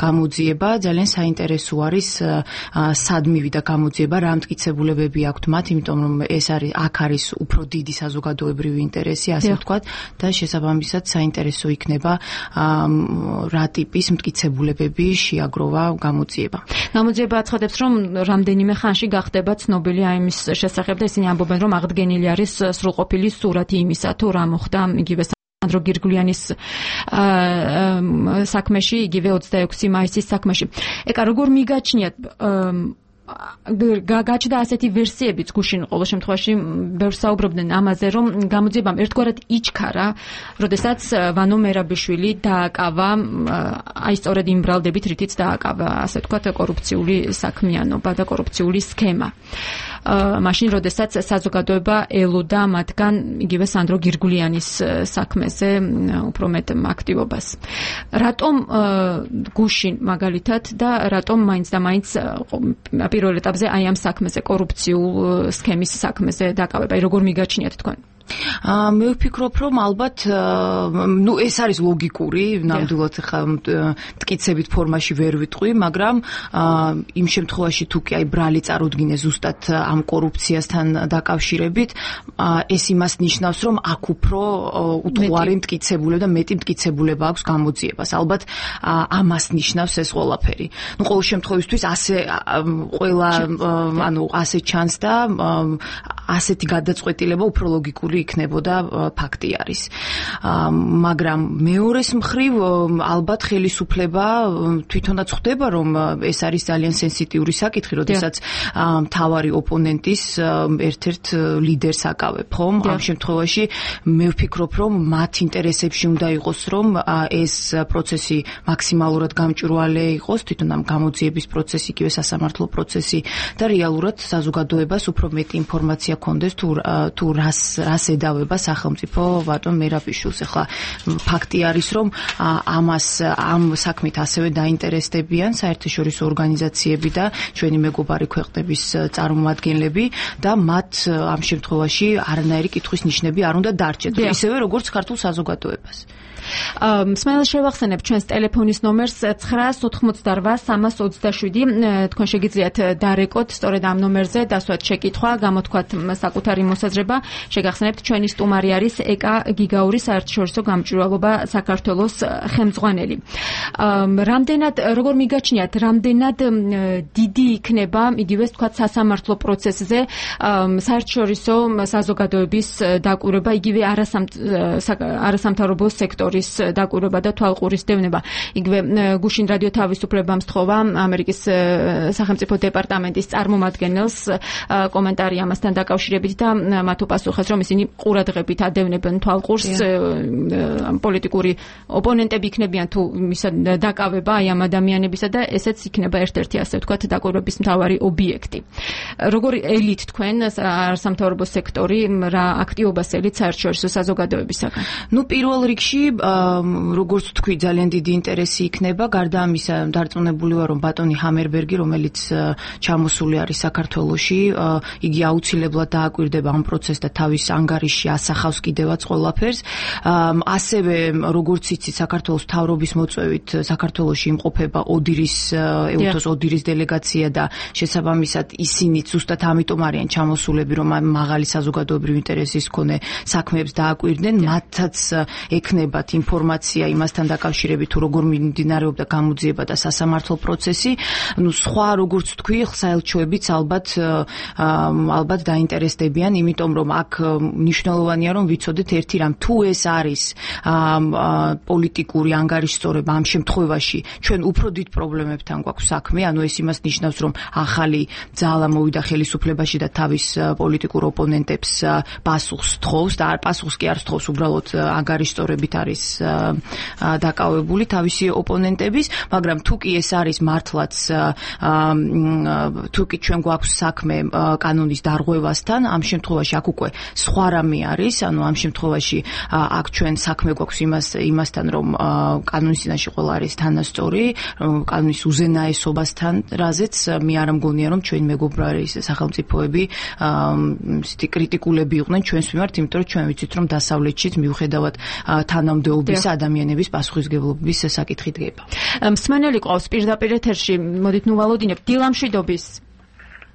გამოძიება. ძალიან საინტერესო არის სად მივიდა გამოძიება, რა მტკიცებულებები აქვთ მათ, იმიტომ რომ ეს არის აქ არის უფრო დიდი საზოგადოებრივი ინტერესი, ასე ვთქვათ, და შესაბამისად საინტერესო იქნება რა ტიპის მტკიცებულებები შეაგროვა გამოძიება. გამოძიება აცხადებს, რომ რამდენიმე ხანში გახდება ცნობილი აიმის შესახებ და ისინი ამბობენ, რომ აღდგენილი არის სრულყოფილი სურათი იმისა, თუ რა მოხდა იგივე სანდრო გირგულიანის საქმეში, იგივე ოცდაექვსი მაისის საქმეში. ეკა, როგორ მიგაჩნიათ გაჩნდა ასეთი ვერსიებიც გუშინ ყოველ შემთხვევაში ბევრს საუბრობდნენ ამაზე, რომ გამოძიებამ ერთგვარად იჩქარა, როდესაც ვანო მერაბიშვილი დააკავა, აი სწორედ იმ ბრალდებით, რითიც დააკავა, ასე ვთქვათ, კორუფციული საქმიანობა და კორუფციული სქემა. მაშინ, როდესაც საზოგადოება ელოდა მათგან იგივე სანდრო გირგულიანის საქმეზე უფრო მეტ აქტივობას. რატომ გუშინ მაგალითად და რატომ მაინც და მაინც პირველ ეტაპზე აი ამ საქმეზე, კორუფციულ სქემის საქმეზე დაკავება, აი როგორ მიგაჩნიათ თქვენ? მე ვფიქრობ, რომ ალბათ ნუ ეს არის ლოგიკური, ნამდვილად ხა მტკიცებით ფორმაში ვერ ვიტყვი, მაგრამ იმ შემთხვევაში თუ კი აი ბრალი წარუდგინე ზუსტად ამ კორუფციასთან დაკავშირებით, ეს იმას ნიშნავს, რომ აქ უფრო უთღვარი მტკიცებულება და მეტი მტკიცებულება აქვს გამოძიებას. ალბათ ამას ნიშნავს ეს ყველაფერი. ნუ ყოველ შემთხვევისთვის ასე ყველა ანუ ასე ჩანს და ასეთი გადაწყვეტილება უფრო ლოგიკური იქნებოდა ფაქტი არის. მაგრამ მეორეს მხრივ ალბათ ხელისუფლება თვითონაც ხვდება, რომ ეს არის ძალიან სენსიტიური საკითხი, როდესაც მთავარი ოპონენტის ერთ-ერთ ლიდერს აკავებ, ხომ? ამ შემთხვევაში მე ვფიქრობ, რომ მათ ინტერესებში უნდა იყოს, რომ ეს პროცესი მაქსიმალურად გამჭვირვალე იყოს, თვითონ ამ გამოძიების პროცესი, იგივე სასამართლო პროცესი და რეალურად საზოგადოებას უფრო მეტი ინფორმაცია კონდეს თუ თუ რას რას ედავება სახელმწიფო ბატონ მერაბიშვილს. ახლა ფაქტი არის, რომ ამას ამ საქმით ასევე დაინტერესდებიან საერთაშორისო ორგანიზაციები და ჩვენი მეგობარი ქვეყნების წარმომადგენლები და მათ ამ შემთხვევაში არანაირი კითხვის ნიშნები არ უნდა დარჩეთ, ისევე როგორც ქართულ საზოგადოებას. მსმენელს შევახსენებ ჩვენს ტელეფონის ნომერს ცხრა ოთხმოცდარვა სამას ოცდაშვიდი. თქვენ შეგიძლიათ დარეკოთ სწორედ ამ ნომერზე დასვათ შეკითხვა, გამოთქვათ საკუთარი მოსაზრება. შეგახსენებთ, ჩვენი სტუმარი არის ეკა გიგაური, საერთაშორისო გამჭვირვალობა საქართველოს ხელმძღვანელი. რამდენად როგორ მიგაჩნიათ, რამდენად დიდი იქნება იგივე თქვათ სასამართლო პროცესზე საერთაშორისო საზოგადოების დაკვირვება, იგივე არასამთავრობო სექტორის დაკვირვება და თვალყურისდევნება. იგივე გუშინ რადიო თავისუფლებამ სთხოვა ამერიკის სახელმწიფო დეპარტამენტის წარმომადგენელს კომენტარი ამასთან დაკავშირებით და მათ უპასუხეს, რომ ისინი ყურადღებით ადევნებენ თვალყურს, პოლიტიკური ოპონენტები იქნებიან თუ მისა დაკავება აი ამ ადამიანებისა და ესეც იქნება ერთ-ერთი ასე ვთქვათ დაკვირვების მთავარი ობიექტი. როგორ ელით თქვენ არასამთავრობო სექტორი რა აქტივობას ელით საერთაშორისო საზოგადოებისაგან? ნუ პირველ რიგში როგორც თქვი, ძალიან დიდი ინტერესი იქნება. გარდა ამისა, დარწმუნებული ვარ, რომ ბატონი ჰამერბერგი, რომელიც ჩამოსული არის საქართველოში, იგი აუცილებლად დააკვირდება ამ პროცესს და თავის ანგარიში ასახავს კიდევაც ყველაფერს. ასევე, როგორც იცით, საქართველოს მთავრობის მოწვევით საქართველოში იმყოფება ოდირის ეუთოს ოდირის დელეგაცია და შესაბამისად ისინიც ზუსტად ამიტომ არიან ჩამოსულები, რომ მაღალი საზოგადოებრივი ინტერესის მქონე საქმეებს დააკვირდნენ. მათაც ექნებათ ინფორმაცია იმასთან დაკავშირებით, თუ როგორ მიმდინარეობდა გამოძიება და სასამართლო პროცესი. ნუ სხვა როგორც თქვი, საელჩოებიც ალბათ ალბათ დაინტერესდებიან, იმიტომ რომ აქ მნიშვნელოვანია, რომ ვიცოდეთ ერთი რამ, თუ ეს არის პოლიტიკური ანგარიშსწორება ამ შემთხვევაში, ჩვენ უფრო დიდ პრობლემებთან გვაქვს საქმე, ანუ ეს იმას ნიშნავს, რომ ახალი ძალა მოვიდა ხელისუფლებაში და თავის პოლიტიკურ ოპონენტებს პასუხს თხოვს და პასუხს კი არ თხოვს, უბრალოდ ანგარიშსწორებით არის დაკავებული თავისი ოპონენტების, მაგრამ თუ კი ეს არის მართლაც თუ კი ჩვენ გვაქვს საქმე კანონის დარღვევასთან, ამ შემთხვევაში აქ უკვე სხვა რამე არის, ანუ ამ შემთხვევაში აქ ჩვენ საქმე გვაქვს იმას იმასთან, რომ კანონის წინაშე ყველა არის თანასწორი, რომ კანონის უზენაესობასთან, რაზეც მე არ მგონია, რომ ჩვენი მეგობრები სახელმწიფოები ისეთი კრიტიკულები იყვნენ ჩვენს მიმართ, იმიტომ რომ ჩვენ ვიცით, რომ დასავლეთშიც მიუხედავად თანამდებობის ადამიანების პასუხისმგებლობის საკითხი დგება. მსმენელი ყავს პირდაპირ ეთერში, მოდით ნუ ვალოდინებ. დილამშვიდობის.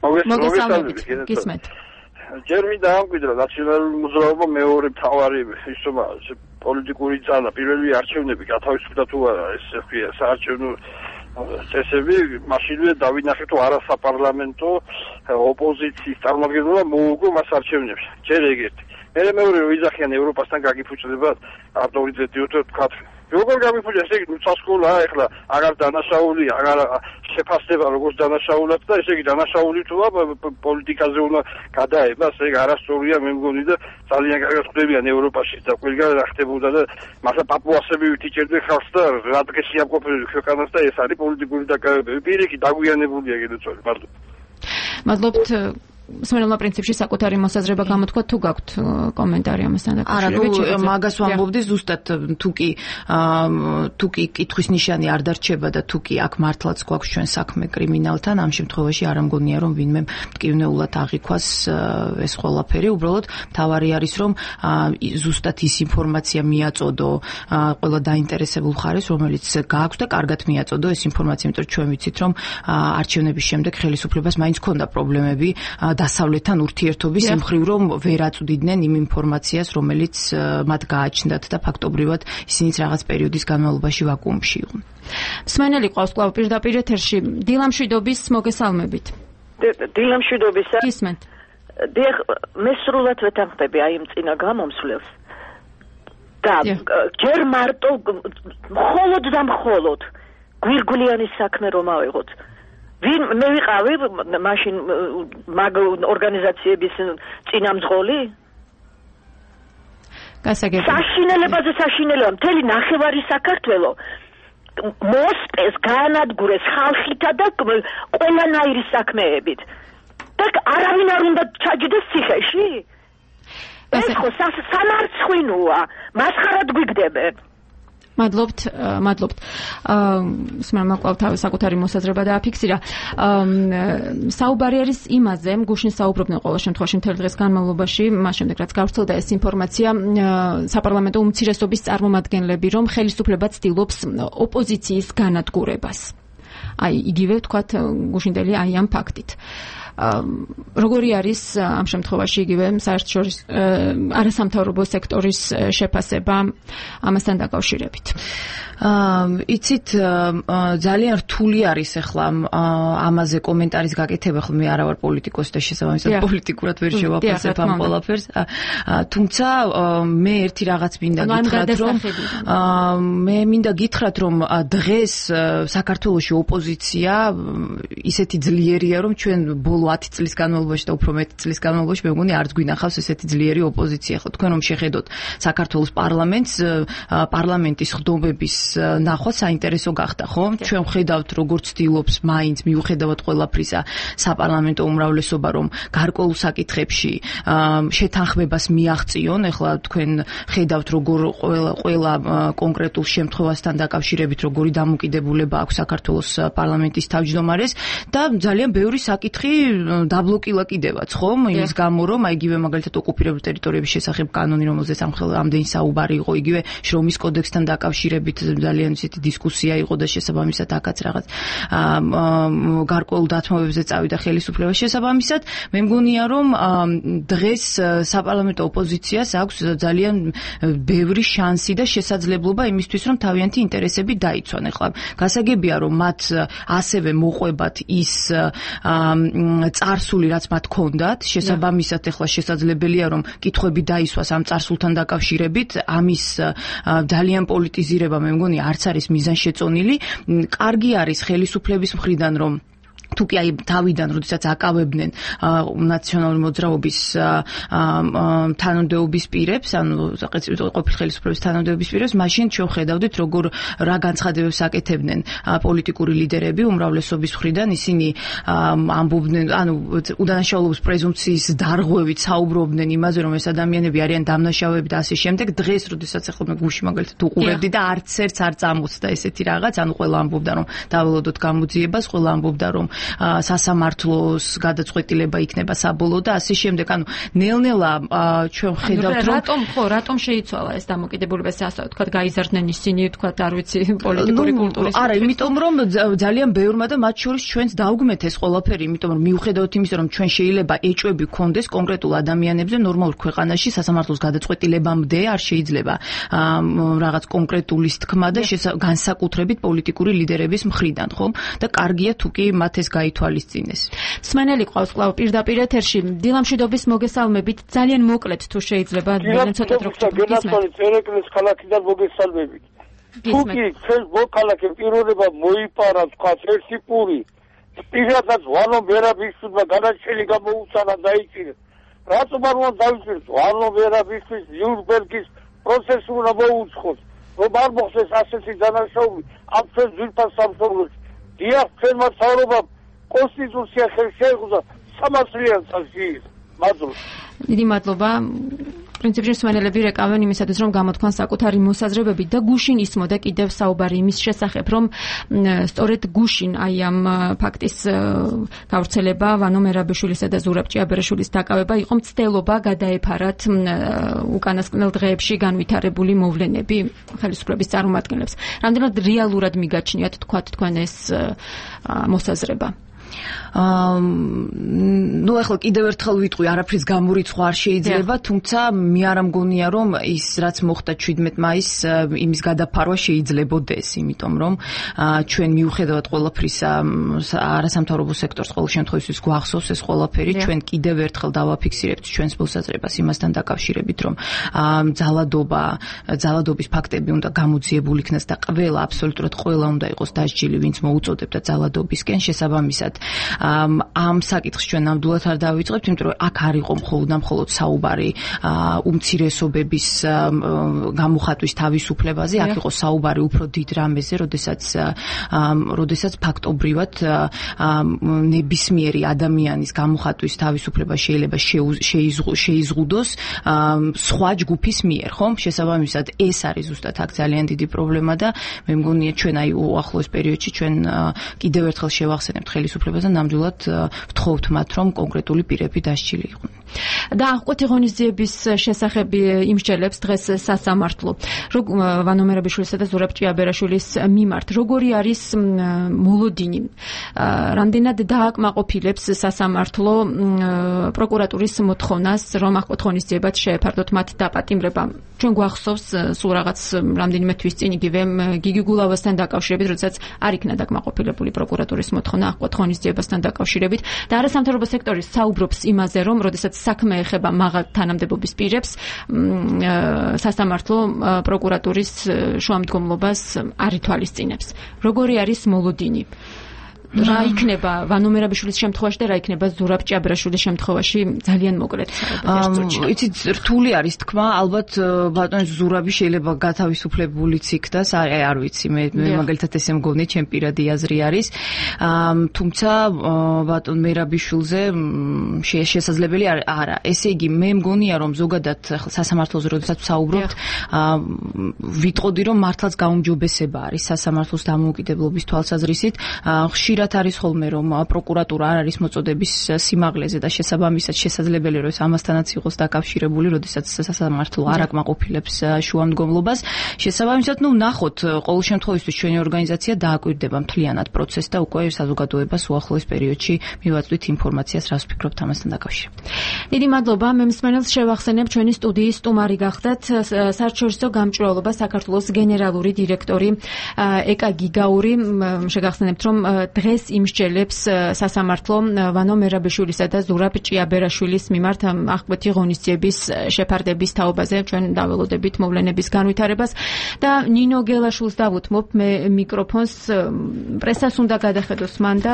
მოგესალმებით. გისმენთ. ჯერ მინდა ამკვიდრო ნაციონალური მოძრაობა მეორე მთავარი ისომა პოლიტიკური ძალა, პირველი არჩევნები გათავისუფლდა თუ არა, ეს ხია საარჩევნო წესები, მაშინვე დავინახეთ, თუ არა საპარლამენტო ოპოზიციის წარმომადგენელმა მოუგო მას არჩევნებში. ჯერ ეგეთი. მე მეორე ვიზახიან ევროპასთან გაგიფუჭდება ავტორიტეტიო თქვა როგორ გამიფუძა ესე იგი უცხოა ეხლა აღარ დანაშაული აღარ შეფასდება როგორც დანაშაულად და ესე იგი დანაშაული თუა პოლიტიკაზე უნდა გადაება ესე იგი არასწორია მე მგონი და ძალიან კარგად ხდებიან ევროპაში და ყველგან რა ხდებოდა და მასა პაპუასები ვიტიჭერდნენ ხალხს და რა დღეს იამყოფებდნენ ქვეყანას და ეს არის პოლიტიკური დაკავებები პირიქით დაგვიანებულია გედოცული მადლობა მადლობთ სმენელმა პრინციპში საკუთარი მოსაზრება გამოთქვა თუ გაქვთ კომენტარი ამასთან დაკავშირებით? არა, ნუ მაგას ვამბობდი ზუსტად თუ კი თუ კი კითხვის ნიშანი არ დარჩება და თუ კი აქ მართლაც გვაქვს ჩვენ საქმე კრიმინალთან, ამ შემთხვევაში არ ამგონია რომ ვინმე მტკივნეულად აღიქვას ეს ყველაფერი, უბრალოდ თავარი არის რომ ზუსტად ის ინფორმაცია მიაწოდო ყველა დაინტერესებულ მხარეს, რომელიც გააქვს და კარგად მიაწოდო ეს ინფორმაცია, იმიტომ რომ ჩვენ ვიცით რომ არჩევნების შემდეგ ხელისუფლებას მაინც ჰქონდა პრობლემები დასავლეთთან ურთიერთობის მხრივ რომ ვერ აწვდიდნენ იმ ინფორმაციას, რომელიც მათ გააჩნდათ და ფაქტობრივად ისინიც რაღაც პერიოდის განმავლობაში ვაკუუმში იყვნენ. მსმენელი ყავს კვლავ პირდაპირ ეთერში. დილამშვიდობის მოგესალმებით. დილამშვიდობისა. გისმენთ. დიახ, მე სრულად ვეთანხმები აი იმ წინა გამომსვლელს. და ჯერ მარტო მხოლოდ და მხოლოდ გვირგვლიანის საქმე რომ ავიღოთ. ვინ მე ვიყავი მაშინ მაგ ორგანიზაციების წინამძღოლი? გასაგებია. საშინელებაზე საშინელება მთელი ნახევარი საქართველო მოსპეს განადგურეს ხალხითა და ყველანაირი საქმეებით. და არავინ არ უნდა ჩაჯდეს ციხეში? ეს ხო სამარცხვინოა, მასხარად გვიგდებენ. მადლობთ, მადლობთ. სმენელმა კვლავ თავის საკუთარი მოსაზრება დააფიქსირა. საუბარი არის იმაზე, გუშინ საუბრობდნენ ყოველ შემთხვევაში მთელი დღის განმავლობაში, მას შემდეგ რაც გავრცელდა ეს ინფორმაცია, საპარლამენტო უმცირესობის წარმომადგენლები, რომ ხელისუფლება ცდილობს ოპოზიციის განადგურებას. აი, იგივე ვთქვათ გუშინდელი აი ამ ფაქტით. როგორი არის ამ შემთხვევაში იგივე საერთაშორისო არასამთავრობო სექტორის შეფასება ამასთან დაკავშირებით? იცით ძალიან რთული არის ახლა ამაზე კომენტარის გაკეთება, ხო მე არა ვარ პოლიტიკოსი და შესაბამისად პოლიტიკურად ვერ შევაფასებ ამ ყველაფერს. თუმცა მე ერთი რაღაც მინდა გითხრათ, რომ მე მინდა გითხრათ, რომ დღეს საქართველოში ოპოზიცია ისეთი ძლიერია, რომ ჩვენ ბოლო ათი წლის განმავლობაში და უფრო მეტი წლის განმავლობაში მე მგონი არც გვინახავს ესეთი ძლიერი ოპოზიცია. ხო თქვენ რომ შეხედოთ საქართველოს პარლამენტს, პარლამენტის ხდომების ნახვა საინტერესო გახდა, ხო? ჩვენ ვხედავთ როგორ ცდილობს მაინც მიუხედავად ყველაფრისა საპარლამენტო უმრავლესობა რომ გარკვეულ საკითხებში შეთანხმებას მიაღწიონ. ეხლა თქვენ ხედავთ როგორ ყველა ყველა კონკრეტულ შემთხვევასთან დაკავშირებით როგორი დამოკიდებულება აქვს საქართველოს პარლამენტის თავმჯდომარეს და ძალიან ბევრი საკითხი დაბლოკილა კიდევაც, ხო? იმის გამო რომ აი იგივე მაგალითად ოკუპირებულ ტერიტორიების შესახებ კანონი, რომელზეც ამდენი საუბარი იყო, იგივე შრომის კოდექსთან დაკავშირებით ძალიან ისეთი დისკუსია იყო და შესაბამისად აქაც რაღაც გარკვეულ დათმობებზე წავიდა ხელისუფლება შესაბამისად. მე მგონია რომ დღეს საპარლამენტო ოპოზიციას აქვს ძალიან ბევრი შანსი და შესაძლებლობა იმისთვის რომ თავიანთი ინტერესები დაიცვან. ეხლა გასაგებია რომ მათ ასევე მოყვებათ ის წარსული რაც მათ ჰქონდათ, შესაბამისად ეხლა შესაძლებელია რომ კითხვები დაისვას ამ წარსულთან დაკავშირებით, ამის ძალიან პოლიტიზირება მე მგონი არც არის მიზანშეწონილი. კარგი არის ხელისუფლების მხრიდან რომ თუკი აი თავიდან როდესაც აკავებდნენ ნაციონალური მოძრაობის თანამდებობის პირებს, ანუ ყოფილი ხელისუფლების თანამდებობის პირებს, მაშინ ჩვენ ხედავდით როგორ რა განცხადებებს აკეთებდნენ პოლიტიკური ლიდერები უმრავლესობის მხრიდან, ისინი ამბობდნენ, ანუ უდანაშაულობის პრეზუმპციის დარღვევით საუბრობდნენ იმაზე, რომ ეს ადამიანები არიან დამნაშავეები და ასე შემდეგ. დღეს როდესაც ახლა მე გუში მაგალითად უყურებდი და არც ერთს არ წამოწდა ესეთი რაღაც, ანუ ყველა ამბობდა რომ დაველოდოთ გამოძიებას, ყველა ამბობდა რომ სასამართლოს გადაწყვეტილება იქნება საბოლოო და ასე შემდეგ. ანუ ნელ-ნელა ჩვენ ხედავთ რომ რატომ ხო რატომ შეიცვალა ეს დამოკიდებულება, ასე ვთქვათ, გაიზარდნენ ისინი, ვთქვათ, არ ვიცი, პოლიტიკური კულტურის. არა, იმიტომ რომ ძალიან ბევრმა და მათ შორის ჩვენც დაუგმეთ ეს ყველაფერი, იმიტომ რომ მიუხედავად იმისა, რომ ჩვენ შეიძლება ეჭვები გქონდეს კონკრეტულ ადამიანებზე ნორმალურ ქვეყანაში სასამართლოს გადაწყვეტილებამდე არ შეიძლება რაღაც კონკრეტულის თქმა და განსაკუთრებით პოლიტიკური ლიდერების მხრიდან, ხო? და კარგია თუკი მათ ეს გაითვალისწინეს. სმენელი ყავს კვლავ პირდაპირ ეთერში. დილამშვიდობის მოგესალმებით. ძალიან მოკლედ თუ შეიძლება, ძალიან ცოტა დრო გისმენთ. ერეკლეს ქალაქიდან მოგესალმებით. თუკი ჩვენ მოქალაქე პიროვნება მოიპარა თქვა ერთი პური პირადად ვანო მერაბიშვილმა განაჩენი გამოუცანა დაიჭირა რატომ არ უნდა დაიჭიროს ვანო მერაბიშვილის ნიურნბერგის პროცესი უნდა მოუწყოს რომ არ მოხდეს ასეთი დანაშაული ამ ჩვენ ძვირფას სამშობლოში დიახ ჩვენმა მთავრობამ კონსტიტუცია ხელს შეეხო სამას წლიან წელს მადლობა დიდი მადლობა პრინციპში მსმენელები რეკავენ იმისათვის რომ გამოთქვან საკუთარი მოსაზრებები და გუშინ ისმოდა კიდევ საუბარი იმის შესახებ რომ სწორედ გუშინ აი ამ ფაქტის გავრცელება ვანო მერაბიშვილისა და ზურაბ ჭიაბერაშვილის დაკავება იყო მცდელობა გადაეფარათ უკანასკნელ დღეებში განვითარებული მოვლენები ხელისუფლების წარმომადგენლებს რამდენად რეალურად მიგაჩნიათ თქვათ თქვენ ეს მოსაზრება აა ნუ ახლა კიდევ ერთხელ ვიტყვი, არაფრის გამორიცხვა არ შეიძლება, თუმცა მე არ მგონია რომ ის რაც მოხდა შვიდმეტ მაისს იმის გადაფარვა შეიძლებოდეს, იმიტომ რომ ჩვენ მიუხედავად ყველაფრისა არასამთავრობო სექტორს ყოველ შემთხვევაში გვახსოვს ეს ყველაფერი, ჩვენ კიდევ ერთხელ დავაფიქსირებთ ჩვენს მოსაზრებას იმასთან დაკავშირებით, რომ ძალადობა, ძალადობის ფაქტები უნდა გამოძიებული იქნას და ყველა აბსოლუტურად ყველა უნდა იყოს დასჯილი, ვინც მოუწოდებდა ძალადობისკენ შესაბამისად ამ საკითხს ჩვენ ნამდვილად არ დავიწყებთ, იმიტომ რომ აქ არ იყო მხოლოდ და მხოლოდ საუბარი უმცირესობების გამოხატვის თავისუფლებაზე, აქ იყო საუბარი უფრო დიდ რამეზე, როდესაც როდესაც ფაქტობრივად ნებისმიერი ადამიანის გამოხატვის თავისუფლება შეიძლება შეიზღუდოს სხვა ჯგუფის მიერ, ხომ? შესაბამისად ეს არის ზუსტად აქ ძალიან დიდი პრობლემა და მე მგონია ჩვენ აი უახლოეს პერიოდში ჩვენ კიდევ ერთხელ შევახსენებთ ხელისუფლებას და ნამდვილად ვთხოვთ მათ, რომ კონკრეტული პირები დასჯილი იყვნენ. და აღკვეთი ღონისძიების შესახებ იმსჯელებს დღეს სასამართლო. ვანო მერაბიშვილისა და ზურაბ ჭიაბერაშვილის მიმართ როგორი არის მოლოდინი? რამდენად დააკმაყოფილებს სასამართლო პროკურატურის მოთხოვნას, რომ აღკვეთ ღონისძიებად შეეფარდოთ მათ დაპატიმრება? ჩვენ გვახსოვს სულ რაღაც რამდენიმე თვის წინ იგივე გიგი გულავასთან დაკავშირებით, როდესაც არ იქნა დაკმაყოფილებული პროკურატურის მოთხოვნა აღკვეთ ღონისძიებასთან დაკავშირებით და არასამთავრობო სექტორი საუბრობს იმაზე, რომ როდესაც საქმე ეხება მაღალ თანამდებობის პირებს, სასამართლო პროკურატურის შუამდგომლობას არ ითვალისწინებს. როგორი არის მოლოდინი? რა იქნება ვანო მერაბიშვილის შემთხვევაში და რა იქნება ზურაბ ჭიაბერაშვილის შემთხვევაში ძალიან მოკლედ საუბარი. იცით, რთული არის თქმა, ალბათ ბატონ ზურაბი შეიძლება გათავისუფლებულიც იქნას, არ ვიცი, მე მაგალითად ესე მგონი, ჩემ პირადი აზრი არის. თუმცა ბატონ მერაბიშვილზე შესაძლებელი არა. ესე იგი, მე მგონია, რომ ზოგადად სასამართლოზე როდესაც ვსაუბრობთ, ვიტყოდი, რომ მართლაც გაუმჯობესება არის სასამართლოს დამოუკიდებლობის თვალსაზრისით. ხშირად არის ხოლმე რომ პროკურატურა არ არის მოწოდების სიმაღლეზე და შესაბამისად შესაძლებელი რომ ეს ამასთანაც იყოს დაკავშირებული, როდესაც სასამართლო არ აკმაყოფილებს შუამდგომლობას. შესაბამისად, ნუ ნახოთ, ყოველ შემთხვევაში ჩვენი ორგანიზაცია დააკვირდება მთლიანად პროცესს და უკვე საზოგადოებას უახლოეს პერიოდში მივაწვდით ინფორმაციას, რას ვფიქრობთ ამასთან დაკავშირებით. დიდი მადლობა, მე მსმენელს შევახსენებ ჩვენი სტუდიის სტუმარი გახდათ საერთაშორისო გამჭვირვალობა საქართველოს გენერალური დირექტორი ეკა გიგაური. შეგახსენებთ, რომ დღეს იმსჯელებს სასამართლო ვანო მერაბიშვილისა და ზურაბ ჭიაბერაშვილის მიმართ აღკვეთი ღონისძიების შეფარდების თაობაზე. ჩვენ დაველოდებით მოვლენების განვითარებას და ნინო გელაშვილს დავუთმობ მე მიკროფონს. პრესას უნდა გადახედოს მან და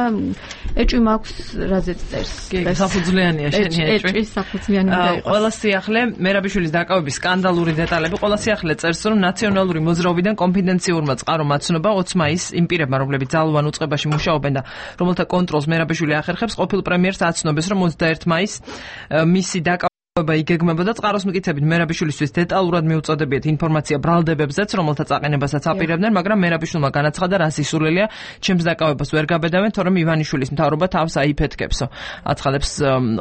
ეჭვი მაქვს რაზეც წერს. საფუძვლიანია შენი ეჭვი. ეჭვი საფუძვლიანი უნდა იყოს. ყველა სიახლე მერაბიშვილის დაკავების სკანდალური დეტალები, ყველა სიახლე წერს, რომ ნაციონალური მოძრაობიდან კონფიდენციურმა წყარომ აცნობა ოცი მაისს იმ პირებმა, რომლებიც ძალოვან უწყებაში მუშაობენ და რომელთა კონტროლს მერაბიშვილი ახერხებს, ყოფილ პრემიერს აცნობეს, რომ ოცდაერთი მაისს მისი დაკავება იგეგმებოდა. წყაროს მკითხებით მერაბიშვილისთვის დეტალურად მიუწოდებიათ ინფორმაცია ბრალდებებზეც, რომელთა წაყენებასაც აპირებდნენ, მაგრამ მერაბიშვილმა განაცხადა, რა სისულელია, ჩემს დაკავებას ვერ გაბედავენ, თორემ ივანიშვილის მთავრობა თავს აიფეთქებსო. აცხადებს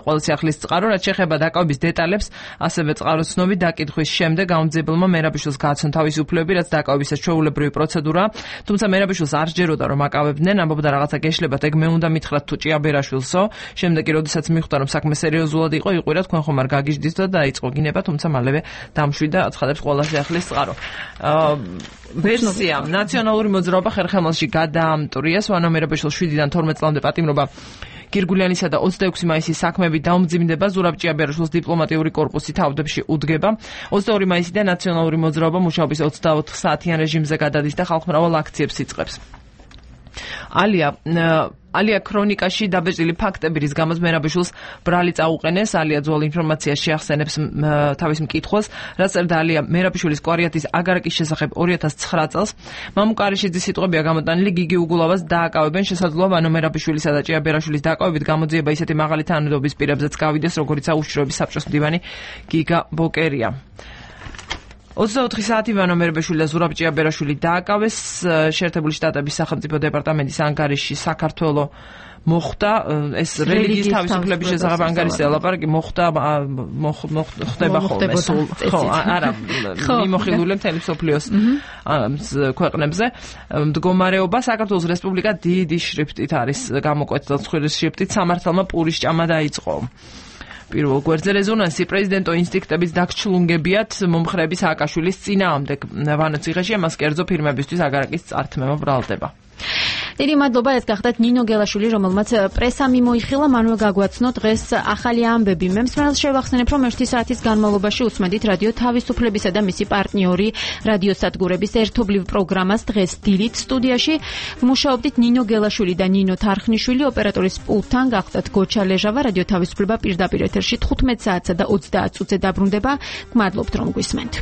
ყველა სიახლის წყარო, რაც შეეხება დაკავების დეტალებს, ასევე წყაროს ცნობით დაკითხვის შემდეგ გამომძიებელმა მერაბიშვილს გააცნო თავისი უფლებები, რაც დაკავებისას ჩვეულებრივი პროცედურაა. თუმცა მერაბიშვილს არ სჯეროდა, რომ აკავებდნენ, ამბობდა რაღაცა გეშლებათ, ეგ მე უნდა მითხრათ თუ ჭიაბერაშვილსო. შემდეგ კი როდესაც მიხვდა, რომ საქმე სერიოზულად იყო, იყვირა თქვენ ხომ არ გაგიჟდით და დაიწყო გინება, თუმცა მალევე დამშვიდა, აცხადებს ყველა სიახლის წყარო. ვერსია ნაციონალური მოძრაობა ხერხემალში გადაამტვრიეს, ვანო მერაბიშვილს შვიდიდან თორმეტ წლამდე პატიმრობა გირგულიანისა და ოცდაექვსი მაისის საქმეები დაუმძიმდება, ზურაბ ჭიაბერაშვილის დიპლომატიური კორპუსი თავდებში უდგება. ოცდაორი მაისიდან ნაციონალური მოძრაობა მუშაობის ოცდაოთხ საათიან რეჟიმზე გადადის და ხალხმრავალ აქციებს იწყებს. ალია ალია ქრონიკაში დაბეჭდილი ფაქტები, რის გამოც მერაბიშვილს ბრალი წაუყენეს. ალია ძველ ინფორმაციას შეახსენებს თავის მკითხველს, რაც წერდა ალია მერაბიშვილის კვარიატის აგარაკის შესახებ ორი ათას ცხრა წელს. მამუკარიშიძის სიტყვებია გამოტანილი, გიგი უგულავას დააკავებენ, შესაძლოა ვანო მერაბიშვილისა და ჭიაბერაშვილის დააკავებით გამოძიება ისეთი მაღალი თანამედროვეობის პირებზეც გავიდეს, როგორიცაა უშიშროების საბჭოს მდივანი გიგა ბოკერია. ოცდაოთხი საათი ვანო მერაბიშვილი და ზურაბ ჭიაბერაშვილი დააკავეს. შეერთებული შტატების სახელმწიფო დეპარტამენტის ანგარიში საქართველო მოხდა ეს რელიგიის თავისუფლების შესახებ ანგარიშზე ლაპარაკი მოხდა მოხდება ხოლმე სულ ხო არა მიმოხილული მთელი მსოფლიოს ქვეყნებზე. მდგომარეობა საქართველოს რესპუბლიკა დიდი შრიფტით არის გამოკვეთილი, ცხვირის შრიფტით სამართალმა პურის ჭამა დაიწყო. პირველ გვერდზე რეზონანსი პრეზიდენტო ინსტინქტების დაგჩლუნგებიათ მომხრეების სააკაშვილის წინააღმდეგ. ვანო ციხეში მას კერძო ფირმებისთვის აგარაკის წართმევა ბრალდება. დიდი მადლობა, ეს გახდათ ნინო გელაშვილი, რომელმაც პრესა მიმოიხილა, მანვე გაგვაცნო დღეს ახალი ამბები. მე მსმენელს შევახსენებ, რომ ერთი საათის განმავლობაში უსმენთ რადიო თავისუფლებისა და მისი პარტნიორი რადიოსადგურების ერთობლივ პროგრამას დღეს დილით. სტუდიაში მუშაობდით ნინო გელაშვილი და ნინო თარხნიშვილი, ოპერატორის პულტთან გახდათ გოჩა ლეჟავა. რადიო თავისუფლება პირდაპირ ეთერში თხუთმეტ საათსა და ოცდაათ წუთზე დაბრუნდება. გმადლობთ, რომ გვისმენთ.